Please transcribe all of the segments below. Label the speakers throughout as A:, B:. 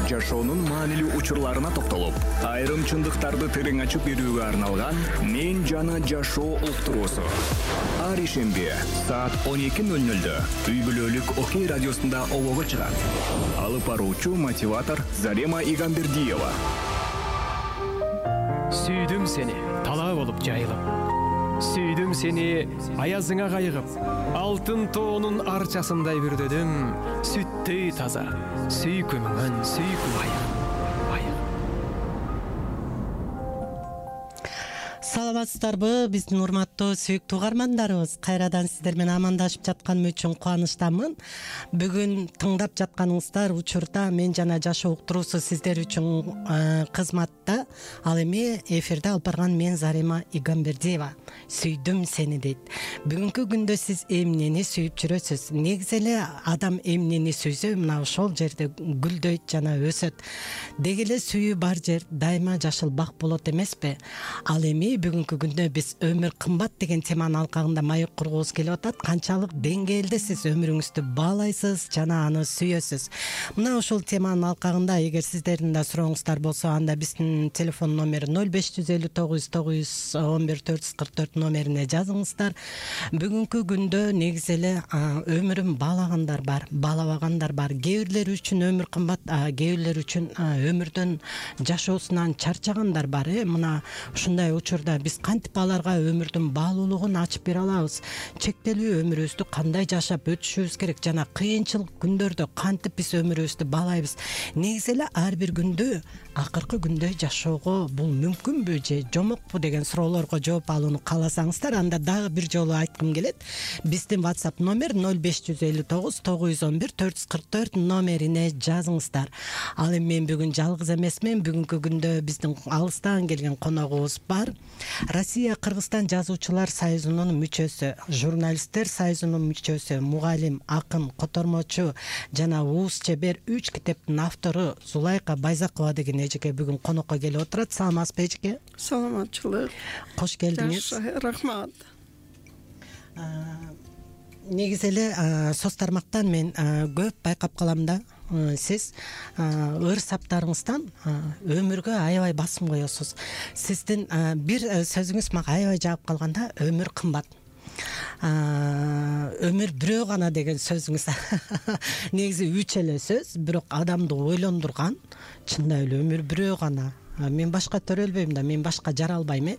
A: жашоонун маанилүү учурларына токтолуп, айрым чындыктарды терең ачып берүүгө арналган «Мен жана жашоо» уктуруусу. Ар ишемби саат 12:00 үй бүлөлүк Окей радиосунда обого чыгат. Алып баруучу мотиватор Зарема Игамбердиева.
B: Сүйдүм сени талаа болуп жайылып. Сүйдүм сени аязыңа кайыгып. Алтын тоонун арчасындай бүрдөдүм. Сүттөй таза, сүйкүмүңөн сүйкүм айыгым.
C: Саламатсыздарбы, биздин урматтуу сүйүктүү угармандарыбыз? Кайрадан сиздер менен амандашып жатканым үчүн кубанычтамын. Бүгүн тыңдап жатканыңыздар учурда «Мен жана жашоо» уктуруусу сиздер үчүн кызматта. Ал эми эфирде алып барган мен Зарема Игамбердиева. Сүйдүм сени дейт. Бүгүнкү күндө сиз эмнени сүйүп жүрөсүз? Негизи эле адам эмнени сүйсө, мына ошол жерде гүлдөйт жана өсөт. Деги эле сүйүү бар жер дайыма жашыл бак болот эмеспи? Ал эми бүгүнкү күндө биз өмүр кымбат деген теманын алкагында маек кургубуз келип атат. Канчалык деңгээлде сиз өмүрүңүздү баалайсыз жана аны сүйөсүз? Мына ушул теманын алкагында эгер сиздердин да сурооңуздар болсо, анда биздин телефон номери 0559 911 444 номерине жазыңыздар. Бүгүнкү күндө негизи эле өмүрүн баалагандар бар, баалабагандар бар. Кээ бирлер үчүн өмүр кымбат, кээ бирлер үчүн өмүрдөн, жашоосунан чарчагандар бар. Мына ушундай учурда биз кантип аларга өмүрдүн баалуулугун ачып бере алабыз? Чектелүү өмүрүбүздү кандай жашап өтүшүбүз керек жана кыйынчылык күндөрдө кантип биз өмүрүбүздү баалайбыз? Негизи эле ар бир күндө акыркы күндөй жашоого бул мүмкүнбү же жомокпу деген суроолорго жооп алууну кааласаңыздар, анда дагы бир жолу айткым келет. Биздин WhatsApp номер 0559 911 444 номерине жазыңыздар. Ал эми мен бүгүн жалгыз эмесмин. Бүгүнкү күндө биздин алыстан келген коногубуз бар. Россия Кыргызстан жазуучулар союзунун мүчөсү, журналисттер союзунун мүчөсү, мугалим, акын, котормочу жана ууз чебер 3 китептин автору Зулайка Байзакова деген эжеке бүгүн конокко келип отурат. Саламатсызбы эжеке?
D: Саламатчылык.
C: Кош келдиңиз.
D: Рахмат.
C: Негизи эле соц тармактан мен көп байкап калам да, сиз ыр саптарыңыздан өмүргө аябай басым коесуз. Сиздин бир сөзүңүз мага аябай жагып калганда, өмүр кымбат. Өмүр бирөө гана деген сөзүңүз негизи үч эле сөз, бирок адамды ойлондурган. Чындап эле өмүр бирөө гана. Мен башка төрөлбөйм да, мен башка жара албайм.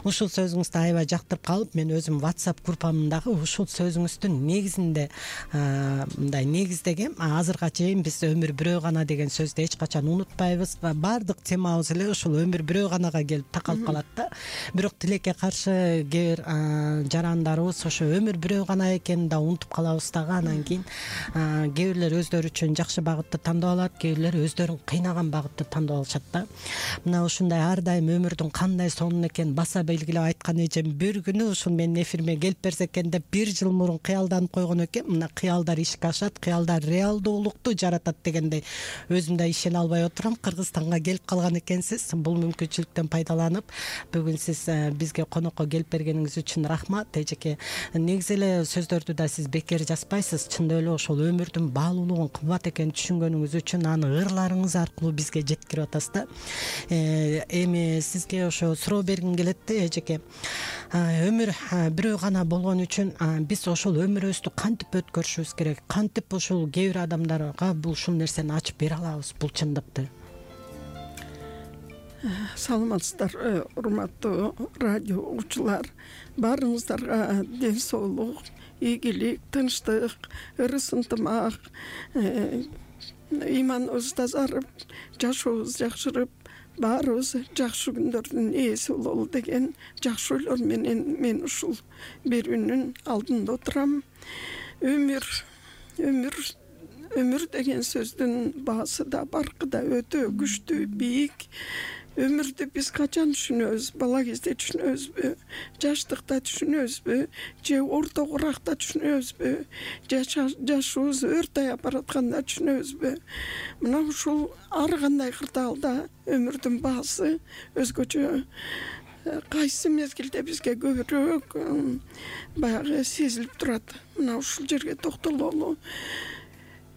C: Ушул сөзүңүздү аябай жактырып калып, мен өзүм WhatsApp группамдагы ушул сөзүңүздүн негизинде мындай негиздегем. Азырга чейин биз өмүр бирөө гана деген сөздү эч качан унутпайбыз. Баардык темабыз эле ушул өмүр бирөө ганага келип такалып калат да. Бирок тилекке каршы кээ бир жарандарыбыз ошо өмүр бирөө гана экенин да унутуп калабыз дагы. Анан кийин кээ бирлер өздөрү үчүн жакшы багытты тандап алат, кээ бирлер өздөрүн кыйнаган багытты тандап алышат да. Мына ушундай ар дайым өмүрдүн кандай сонун экенин баса белгилеп айткан эжем бир күнү ушул менин эфириме келип берсе экен деп 1 жыл мурун кыялданып койгон экен. Мына кыялдар ишке ашат, кыялдар реалдуулукту жаратат дегендей өзүм да ишене албай отурам. Кыргызстанга келип калган экенсиз. Бул мүмкүнчүлүктөн пайдаланып, бүгүн сиз бизге конокко келип бергениңиз үчүн рахмат эжеке. Негизи эле сөздөрдү да сиз бекер жазбайсыз. Чындап эле ошол өмүрдүн баалуулугун кымбат экенин түшүнгөнүңүз үчүн аны ырларыңыз аркылуу бизге жеткирип атасыз да. Эми сизге ошо суроо бергим келет да эжеке. Өмүр бирөө гана болгон үчүн биз ошол өмүрүбүздү кантип өткөрүшүбүз керек? Кантип ушул кээ бир адамдарга ушул нерсени ачып бере алабыз, бул чындыкты?
D: Саламатсыздар, урматтуу радио угуучулар. Баарыңыздарга ден соолук, ийгилик, тынчтык, ырыс ынтымак, иманыбыз тазарып, жашообуз жакшырып, баарыбыз жакшы күндөрдүн ээси бололу деген жакшы ойлор менен мен ушул берүүнүн алдында отурам. Өмүр деген сөздүн баасы да, баркы да өтө күчтүү, бийик. Өмүрдү биз качан түшүнөбүз? Бала кезде түшүнөбүзбү? Жаштыкта түшүнөбүзбү? Же орто куракта түшүнөбүзбү? Жашыбыз өртөй баратканда түшүнөбүзбү? Мына ушул ар кандай кырдаалда өмүрдүн баасы өзгөчө. Кайсы мезгилде бизге көбүрөөк баягы сезилип турат. Мына ушул жерге токтололу.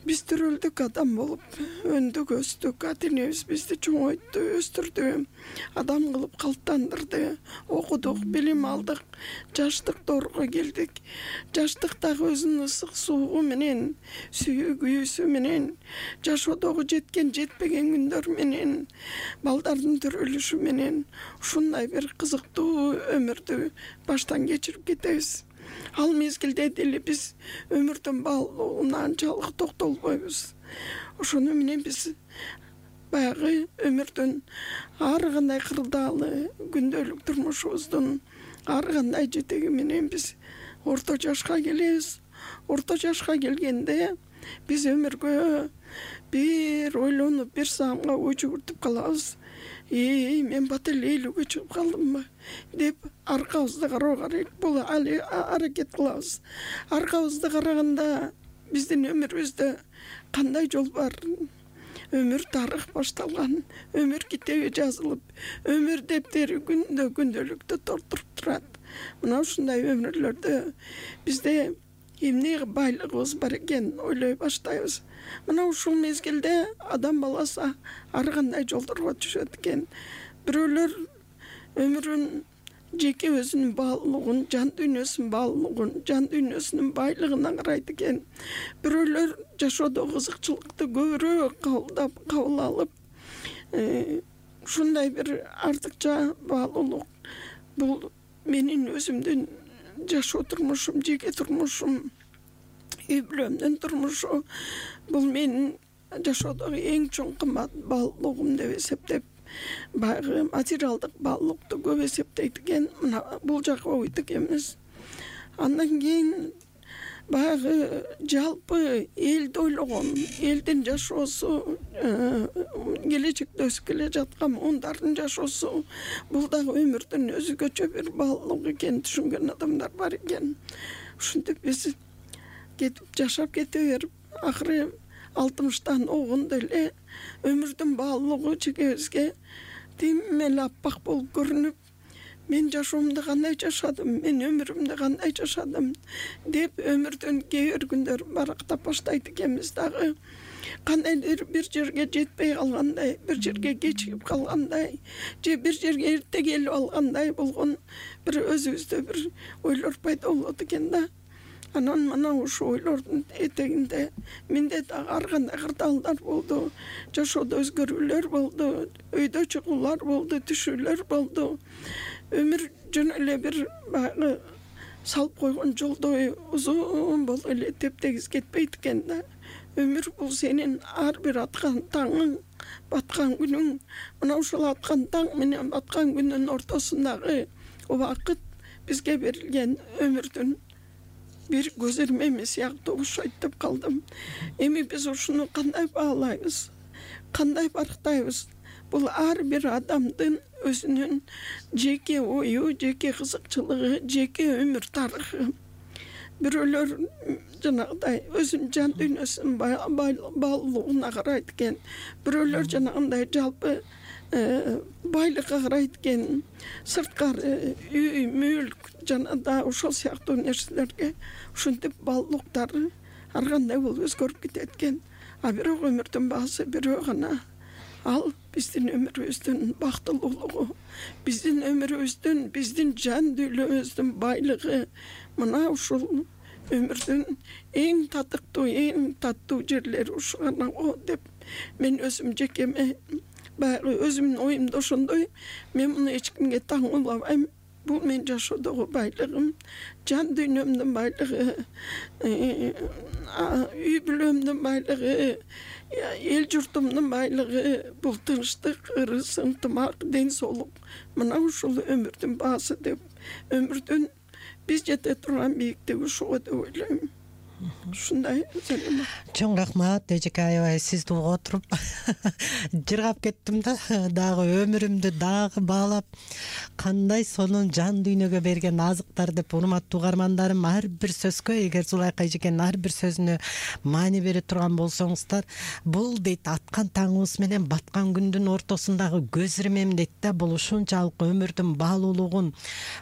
D: биз төрөлдүк адам болуп өндүк, өстүк. Ата энебиз бизди чоңойтtu, өстүрдү, адам кылып калыптандырды. Окудук, билим алдык, жаштык доорго келдик. Жаштыктагы өзүнүн ысык суугу менен, сүйүүсү менен, жашоодогу жеткен, жетпеген күндөр менен, балдардын төрөлүшү менен ушундай бир кызыктуу өмүрдү баштан кечирип кетебиз. Ал мезгилде деле биз өмүрдүн баалуулугуна анчалык токтолбойбуз. Ошону менен биз баягы өмүрдүн ар кандай кырдаалы, күндөлүк турмушубуздун ар кандай жетеги менен биз орто жашка келебиз. Орто жашка келгенде биз өмүргө бир ойлонуп, бир саамга ой жүгүртүп калабыз. Мен бат эле 50-ге чыгып калдымбы деп аркабызды кароого аракет кылабыз. Аркабызды караганда биздин өмүрүбүздө кандай жол бар? Өмүр тарых башталган, өмүр китеби жазылып, өмүр дептери күндөлүктө толтуруп турат. Мына ушундай өмүрлөрдө бизде эмне байлыгыбыз бар экен ойлой баштайбыз. Мына ушул мезгилде адам баласы ар кандай жолдорго түшөт экен. Бирөөлөр өмүрүн жеке өзүнүн баалуулугун, жан дүйнөсүнүн баалуулугун, жан дүйнөсүнүн байлыгына карайт экен. Бирөөлөр жашоодогу кызыкчылыкты көбүрөөк кабыл алып, ушундай бир артыкча баалуулук бул менин өзүмдүн жашоо турмушум, жеке турмушум, үй бүлөмдүн турмушу, бул менин жашоодогу эң чоң кымбат баалуулугум деп эсептеп, баягы материалдык баалуулукту көп эсептейт экен. Мына бул жакка ойт экенбиз. Андан кийин баягы жалпы элди ойлогон, элдин жашоосу, келечекте өсүп келе жаткан муундардын жашоосу, бул дагы өмүрдүн өзгөчө бир баалуулугу экенин түшүнгөн адамдар бар экен. Ушинтип биз кетип жашап кете берип, акыры 60-тан огондо эле өмүрдүн баалуулугу жекебизге тим эле аппак болуп көрүнүп, мен жашоомду кандай жашадым, мен өмүрүмдү кандай жашадым деп өмүрдүн кээ бир күндөр барактап баштайт экенбиз дагы. Кандайдыр бир жерге жетпей калгандай, бир жерге кечигип калгандай, же бир жерге эрте келип алгандай болгон бир өзүбүздө бир ойлор пайда болот экен да. Анан мына ушул ойлордун этегинде менде дагы ар кандай кырдаалдар болду, жашоодо өзгөрүүлөр болду, өйдө чыгуулар болду, түшүүлөр болду. Өмүр жөн эле бир баягы салып койгон жолдой узун болуп эле тептегиз кетпейт экен да. Өмүр бул сенин ар бир аткан таңың, баткан күнүң. Мына ушул аткан таң менен баткан күндүн ортосундагы убакыт бизге берилген өмүрдүн бир көзөрмеми сыяктуу окшойт деп калдым. Эми биз ушуну кандай баалайбыз, кандай барктайбыз? Бул ар бир адамдын өзүнүн жеке ою, жеке кызыкчылыгы, жеке өмүр тарыхы. Бирөөлөр жанагыдай өзүнүн жан дүйнөсүнүн баалуулугуна карайт экен. Бирөөлөр жанагындай жалпы байлыкка карайт экен. Сырткары үй, мүлк жана да ошол сыяктуу нерселерге ушинтип баалуулуктары ар кандай болуп өзгөрүп кетет экен. А бирок өмүрдүн баасы бирөө гана. Ал биздин өмүрүбүздүн бактылуулугу, биздин өмүрүбүздүн, биздин жан дүйнөбүздүн байлыгы. Мына ушул өмүрдүн эң татыктуу, эң таттуу жерлери ушул гана го деп мен өзүм жекеме баягы өзүмдүн оюмда ошондой. Мен муну эч кимге таңуулабайм. Бул менин жашоодогу байлыгым, жан дүйнөмдүн байлыгы, үй бүлөмдүн байлыгы, эл журтумдун байлыгы, бул тынчтык, ырыс, ынтымак, ден соолук. Мына ушул өмүрдүн баасы деп, өмүрдүн биз жете турган бийиктиги ушул деп ойлойм. Ушундай салема.
C: Чоң рахмат эжеке аябай сизди угуп отуруп жыргап кеттим да, дагы өмүрүмдү дагы баалап кандай сонун жан дүйнөгө берген азыктар деп. Урматтуу угармандарым, ар бир сөзгө эгер Зулайка эжекенин ар бир сөзүнө маани бере турган болсоңуздар, бул дейт аткан таңыбыз менен баткан күндүн ортосундагы көз ирмем дейт да. Бул ушунчалык өмүрдүн баалуулугун,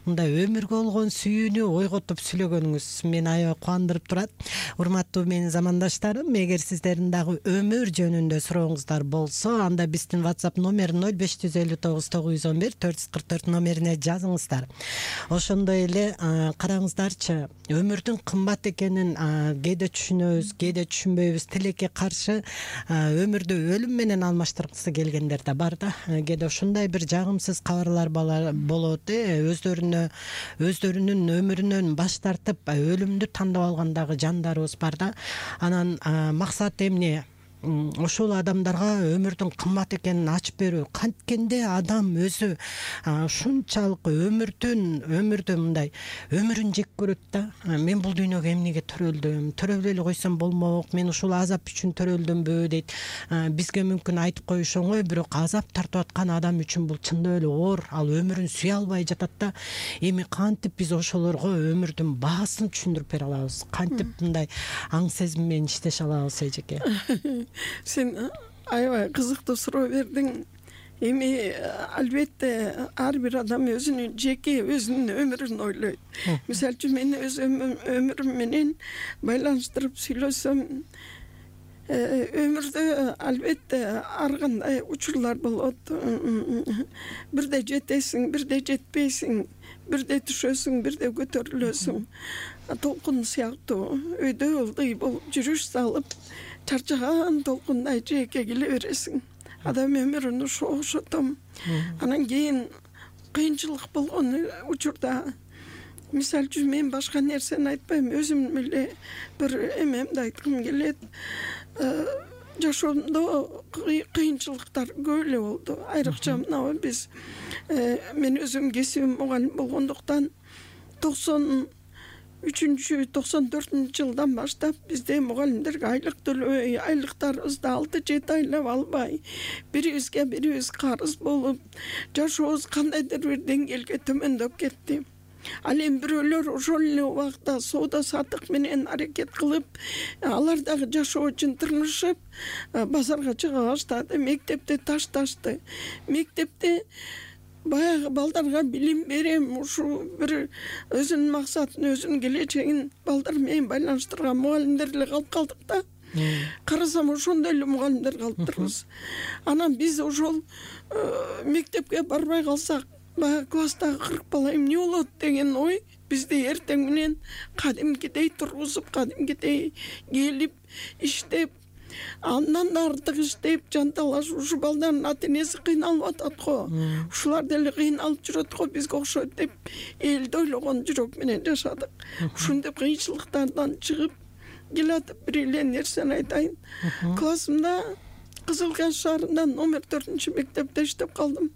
C: мындай өмүргө болгон сүйүүнү ойготуп сүйлөгөнүңүз мени аябай кубандырып турат. Урматтуу менин замандаштарым, эгер сиздердин дагы өмүр жөнүндө сурооңуздар болсо, анда биздин WhatsApp номер 0559 911 444 номерине жазыңыздар. Ошондой эле караңыздарчы, өмүрдүн кымбат экенин кээде түшүнөбүз, кээде түшүнбөйбүз. Тилекке каршы өмүрдү өлүм менен алмаштыргысы келгендер да бар да. Кээде ушундай бир жагымсыз кабарлар болот, өздөрүнүн өмүрүнөн баш тартып өлүмдү тандап алгандагы жандарыбыз бар да. Анан максат эмне? Ошол адамдарга өмүрдүн кымбат экенин ачып берүү. Канткенде адам өзү ушунчалык өмүрдү мындай өмүрүн жек көрөт да. Мен бул дүйнөгө эмнеге төрөлдүм эле койсом болмок, мен ушул азап үчүн төрөлдүмбү дейт. Бизге мүмкүн айтып коюш оңой, бирок азап тартып аткан адам үчүн бул чындап эле оор. Ал өмүрүн сүйө албай жатат да. Эми кантип биз ошолорго өмүрдүн баасын түшүндүрүп бере алабыз? Кантип мындай аң сезим менен иштеше алабыз, эжеке?
D: Сен аябай кызыктуу суроо бердиң. Эми албетте ар бир адам өзүнүн жеке өзүнүн өмүрүн ойлойт. Мисалы үчүн мен өз өмүрүм менен байланыштырып сүйлөсөм, өмүрдө албетте ар кандай учурлар болот. Бирде жетесиң, бирде жетпейсиң, бирде түшөсүң, бирде көтөрүлөсүң. Толкун сыяктуу өйдө ылдый болуп жүрүш салып, чарчаган толкундай жээкке келе бересиң. Адам өмүрүн ошотом. Анан кийин кыйынчылык болгон учурда, мисалы үчүн мен башка нерсени айтпайм, өзүм эле бир эмемди айткым келет. Жашоомдо кыйынчылыктар көп эле болду. Айрыкча мына биз, мен өзүм кесибим мугалим болгондуктан 93-94 жылдан баштап бизде мугалимдерге айлык төлөбөй, айлыктарыбызды 6-7 айлап албай, бирибизге бирибиз карыз болуп, жашообуз кандайдыр бир деңгээлге төмөндөп кетти. Ал эми бирөөлөр ошол эле убакта соода саттык менен аракет кылып, алар дагы жашоо үчүн тырмышып, базарга чыга баштады, мектепте ташташты. Мектепте баягы балдарга билим берем, ушу бир өзүнүн максатын, өзүнүн келечегин балдар менен байланыштырган мугалимдер эле калып калдык да. Карасам ошондой эле мугалимдер калыптырбыз. Анан биз ошол мектепке барбай калсак, баягы класстагы 40 бала эмне болот деген ой бизде эртең менен кадимкидей тургузуп, кадимкидей келип, иштеп, андан да артык иштеп, жанталашып, ушу балдардын ата-энеси кыйналып атат го. Ушулар деле кыйналып жүрөт го, бизге окшойт деп элди ойлогон жүрөк менен жашадык. Ушундай кыйынчылыктардан чыгып келатып, бир эле нерсени айтайын. Классымда Кызыл Каш шаарында номер 4-мектепте иштеп калдым.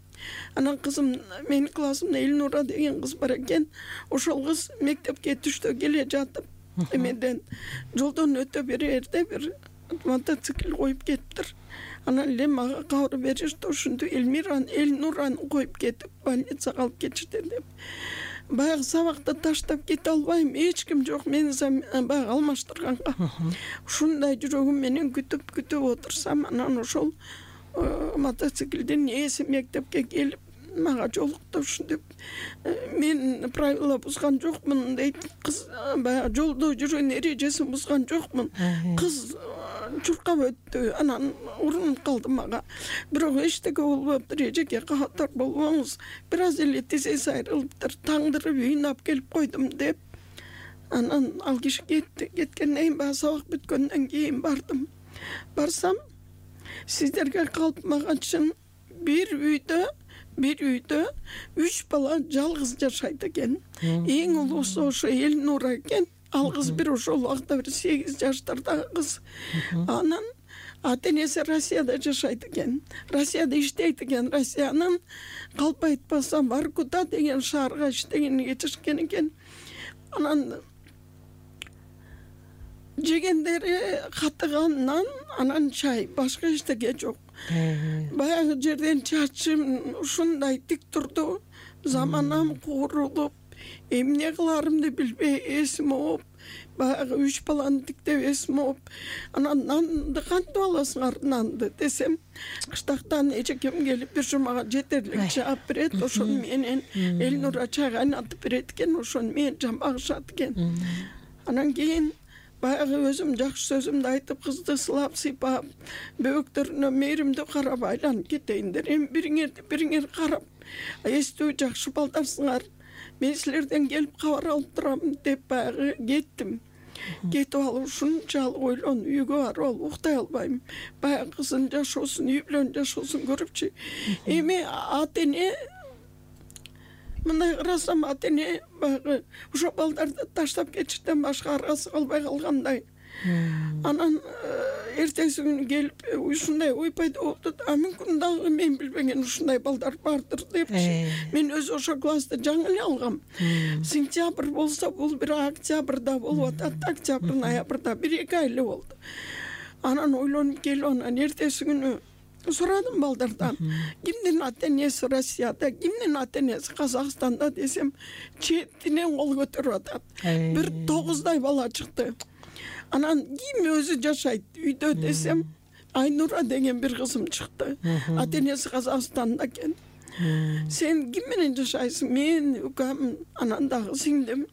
D: Анан кызым, менин классымда Элнура деген кыз бар экен. Ошол кыз мектепке түштө келе жатып, эмеден жолдон өтө берерде бир мотоцикл коюп кетиптир. Анан эле мага кабар беришти, ушинтип Элнураны коюп кетип, больницага алып кетишти деп. Баягы сабакты таштап кете албайм, эч ким жок мени баягы алмаштырганга. Ушундай жүрөгүм менен күтүп отурсам, анан ошол мотоциклдин ээси мектепке келип мага жолукту, ушинтип мен правила бузган жокмун дейт. Кыз баягы жолдо жүргөн эрежесин бузган жокмун. Кыз чуркап өттү, анан урунуп калды мага. Бирок эчтеке болбоптур, эжеке катар болбоңуз, бир аз эле тизеси айрылыптыр, таңдырып үйүнө алып келип койдум деп. Анан ал киши кетти. Кеткенден кийин баягы сабак бүткөндөн кийин бардым. Барсам, сиздерге калпмаганчын бир үйдө 3 бала жалгыз жашайт экен. Эң улуусу ошо Элнура экен. Ал кыз бир ошол убакта бир 8 жаштардагы кыз. Анан ата-энеси Россияда жашайт экен. Россияда иштейт экен. Россиянын калп айтпасам Воркута деген шаарга иштегени кетишкен экен. Анан жегендери катыганнан, анан чай, башка эчтеке жок. Баягы жерден чачым ушундай тик турду, заманам куурулуп, эмне кыларымды билбей эсим ооп, баягы 3 баланы тиктеп эсим ооп, анан нанды кантип аласыңар нанды десем, кыштактан эжекем келип бир жумага жетерлик жаап берет, ошону менен Элнура чай кайнатып берет экен, ошону менен жамбагышат экен. Анан кийин баягы өзүм жакшы сөзүмдү айтып, кызды сылап сыйпап, бөбөктөрүнө мээримдүү карап айланып кетейиндер. Эми бириңер карап, эстүү жакшы балдарсыңар. Мен силерден келип кабар алып турам деп баягы кеттим. Кетип алып ушунчалык ойлонуп үйгө барып алып уктай албайм. Баягы кыздын жашоосун, үй бүлөнүн жашоосун көрүпчү. Эми ата эне мындай карасам, ата эне баягы ошо балдарды таштап кетиштен башка аргасы калбай калгандай. Анан эртеси күнү келип ушундай ой пайда болду. Мүмкүн дагы мен билбеген ушундай балдар бардыр депчи. Мен өзү ошо классты жаңы эле алгам. Сентябрь болсо, бул бир октябрда болуп атат. Октябрь, ноябрда 1-2 ай эле болду. Анан ойлонуп келип, анан эртеси күнү сурадым балдардан. Кимдин ата энеси Россияда, кимдин ата энеси Казакстанда десем, четинен кол көтөрүп атат. Бир 9 бала чыкты. Анан ким өзү жашайт үйдө десем, Айнура деген бир кызым чыкты. Ата энеси Казакстанда экен. Сен ким менен жашайсың? Мен, укам, анан дагы сиңдим.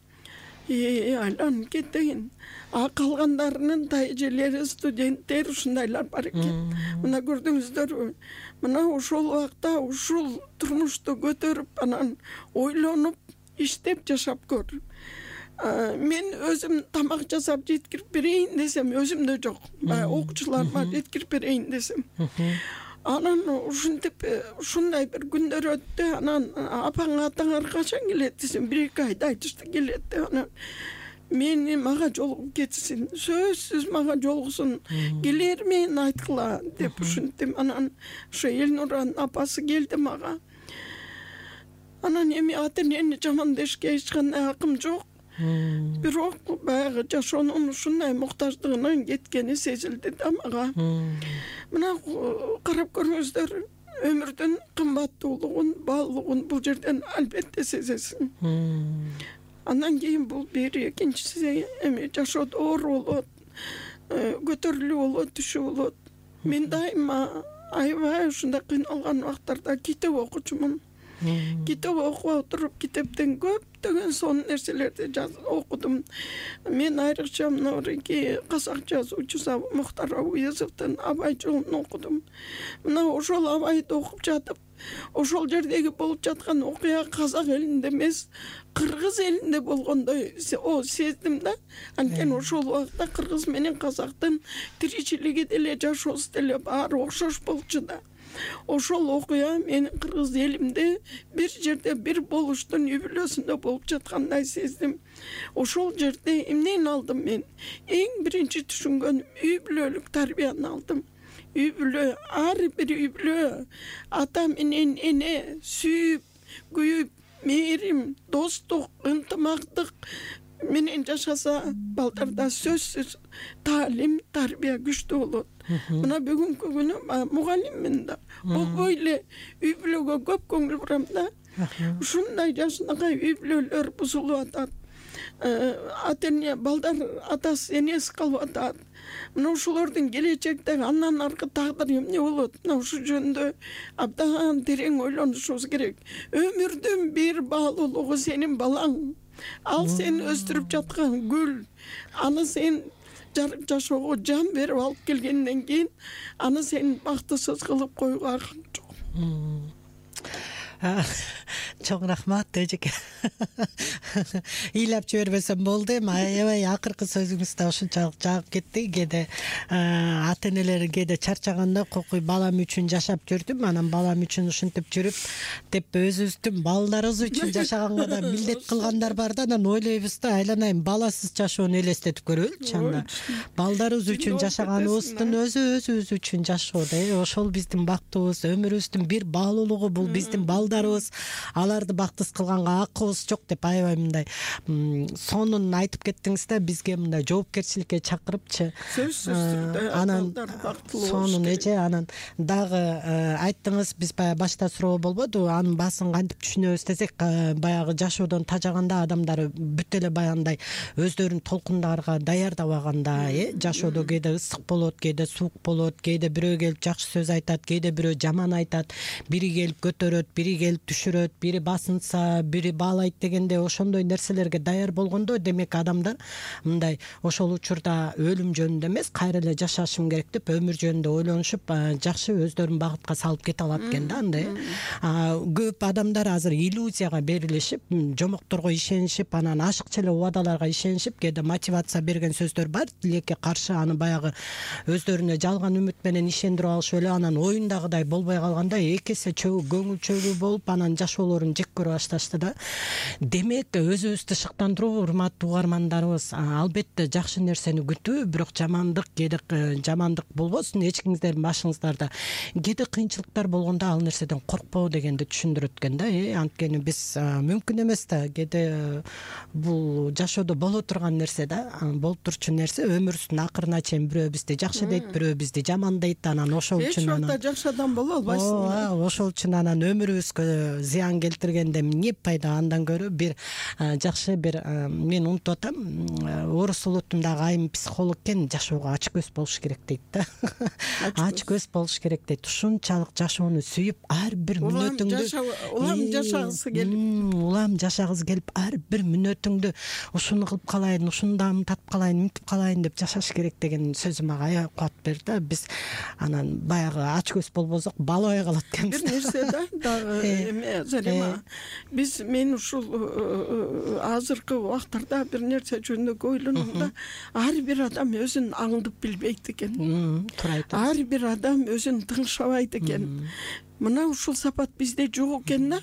D: Айланып кетейин. А калгандарынын тайжелери, студенттер ушундайлар бар экен. Мына көрдүңүздөрбү? Мына ошол убакта ушул турмушту көтөрүп, анан ойлонуп, иштеп жашап көр. Мен өзүм тамак жасап жеткирип берейин десем, өзүмдө жок. Окуучуларыма жеткирип берейин десем. Анан ушинтип ушундай бир күндөр өттү. Анан апаң атаңар качан келет десем, 1-2 айда айтышты келет деп. Анан мага жолугуп кетсин, сөзсүз мага жолугсун, келер мен айткыла деп ушинтип. Анан ошо Элнуранын апасы келди мага. Анан эми ата энени жамандашка эч кандай акым жок. Бирок баягы жашоонун ушундай муктаждыгынан кеткени сезилди да мага. Мына карап көрүңүздөр, өмүрдүн кымбаттуулугун, баалуулугун бул жерден албетте сезесиң. Андан кийин бул бири, экинчиси эми жашоодо оор болот, көтөрүлүү болот, түшүү болот. Мен дайыма аябай ушундай кыйналган убактарда китеп окучумун. Китеп окуп отуруп, китептен көптөгөн сонун нерселерди окудум. Мен айрыкча мынабирки казак жазуучу Мухтар Абуязовдун Абай жолун окудум. Мына ошол Абайды окуп жатып, ошол жердеги болуп жаткан окуя казак элинде эмес, кыргыз элинде болгондой сездим да. Анткени ошол убакта кыргыз менен казактын тиричилиги деле, жашоосу деле баары окшош болчу да. Ошол окуя менин кыргыз элимде бир жерде бир болуштун үй-бүлөсүндө болуп жаткандай сездим. Ошол жерде эмнени алдым мен? Эң биринчи түшүнгөнүм үй-бүлөлүк тарбияны алдым. Үй-бүлө, ар бир үй-бүлө ата менен эне сүйүп, күйүп, мээрим, достук, ынтымактык менен жашаса, балдарда сөзсүз таалим, тарбия күчтүү болот. Мына бүгүнкү күнү мугалиммин да. Болбой эле үй-бүлөгө көп көңүл бурам да. Ушундай жашынакай үй-бүлөлөр бузулуп атат. Ата эне, балдар атасы, энеси калып атат. Мына ушулордун келечектеги андан аркы тагдыры эмне болот? Мына ушул жөнүндө абдан терең ойлонушубуз керек. Өмүрдүн бир баалуулугу сенин балаң. Ал сен өстүрүп жаткан гүл. Аны сен жарык жашоого жан берип алып келгенден кийин аны сен бактысыз кылып коюуга акың жок.
C: Чоң рахмат эжеке. Ыйлап жибербесем болду. Эми аябай акыркы сөзүңүз да ушунчалык жагып кетти. Кээде ата энелер кээде чарчаганда кокуй балам үчүн жашап жүрдүм, анан балам үчүн ушинтип жүрүп деп өзүбүздүн балдарыбыз үчүн жашаганга да милдет кылгандар бар да. Анан ойлойбуз да, айланайын баласыз жашоону элестетип көрөлүчү анда. Балдарыбыз үчүн жашаганыбыздын өзүбүз үчүн жашоо да. Ошол биздин бактыбыз, өмүрүбүздүн бир баалуулугу, бул биздин балдарыбыз. Аларды бактысыз кылганга акыбыз жок деп аябай мындай сонун айтып кеттиңиз да, бизге мындай жоопкерчиликке чакырыпчы. Анан сонун эже, анан дагы айттыңыз, биз баягы башта суроо болбоду, анын баасын кантип түшүнөбүз десек, баягы жашоодон тажаганда адамдар бүт эле баягындай өздөрүн толкундарга даярдабаганда, жашоодо кээде ысык болот, кээде суук болот, кээде бирөө келип жакшы сөз айтат, кээде бирөө жаман айтат, бири келип көтөрөт, бири келип түшүрөт, бири бири басынса, бири баалайт дегенде ошондой нерселерге даяр болгондо, демек адамдар мындай ошол учурда өлүм жөнүндө эмес, кайра эле жашашым керек деп өмүр жөнүндө ойлонушуп, жакшы өздөрүн багытка салып кете алат экен да. Андай көп адамдар азыр иллюзияга берилишип, жомокторго ишенишип, анан ашыкча эле убадаларга ишенишип, кээде мотивация берген сөздөр бар, тилекке каршы, аны баягы өздөрүнө жалган үмүт менен ишендирип алышып эле, анан оюндагыдай болбой калганда эки эсе көңүл чөгүү болуп, анан жашоолорун жек көрө башташты да. Демек өзүбүздү шыктандыруу, урматтуу угармандарыбыз, албетте жакшы нерсени күтүү, бирок жамандык, кээде жамандык болбосун эч кимиңиздердин башыңыздарда. Кээде кыйынчылыктар болгондо ал нерседен коркпоо дегенди түшүндүрөт экен да. Анткени биз мүмкүн эмес да, кээде бул жашоодо боло турган нерсе да, болуп турчу нерсе. Өмүрүбүздүн акырына чейин бирөө бизди жакшы дейт, бирөө бизди жамандайт, анан ошол үчүн
D: эч убакта жакшы адам боло албайсың.
C: Ошол үчүн анан өмүрүбүзгө зыян келтиргенде эмне пайда? Андан көрө бир жакшы бир мен унутуп атам, орус улутундагы айым психолог экен, жашоого ач көз болуш керек дейт да. Ач көз болуш керек дейт. Ушунчалык жашоону сүйүп, ар бир мүнөтүңдү улам жашагысы келип, ар бир мүнөтүңдү ушуну кылып калайын, ушуну да татып калайын, мынтип калайын деп жашаш керек деген сөзү мага аябай кубат берди да. Биз анан баягы ач көз болбосок балабай калат экенбиз.
D: Бир нерсе да, дагы эме Залима, мен ушул азыркы убактарда бир нерсе жөнүндө ойлоном да. Ар бир адам өзүн аңдып билбейт экен. Ар бир адам өзүн тыңшабайт экен. Мына ушул сапат бизде жок экен да.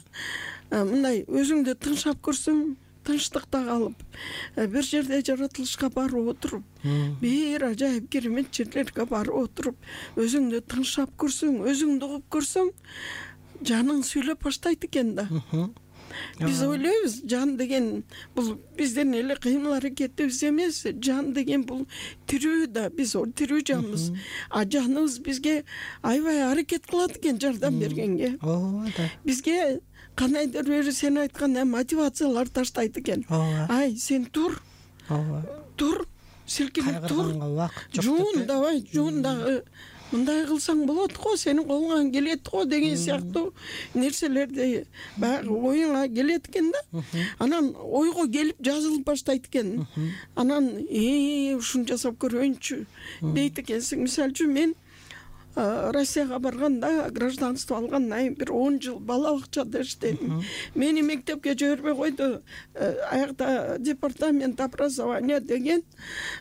D: Мындай өзүңдү тыңшап көрсөң, тынчтыкта калып, бир жерде жаратылышка барып отуруп, бир ажайып керемет жерлерге барып отуруп, өзүңдү тыңшап көрсөң, өзүңдү угуп көрсөң, жаның сүйлөп баштайт экен да. Биз ойлойбуз, жан деген бул бизден эле кыймыл аракетибиз эмес, жан деген бул тирүү да, биз тирүү жанбыз. А жаныбыз бизге аябай аракет кылат экен жардам бергенге. Бизге кандайдыр бир сен айткандай мотивациялар таштайт экен. Ай, сен тур, силкинип тур, жуун давай, жуун дагы мындай кылсаң болот го, сенин колуңан келет го деген сыяктуу нерселерди баягы оюңа келет экен да. Анан ойго келип жазылып баштайт экен. Анан ушуну жасап көрөйүнчү дейт экенсиң. Мисалы үчүн мен Россияга барганда, гражданство алгандан кийин бир 10 жыл бала бакчада иштедим. Мени мектепке жибербей койду. Аякта департамент образования деген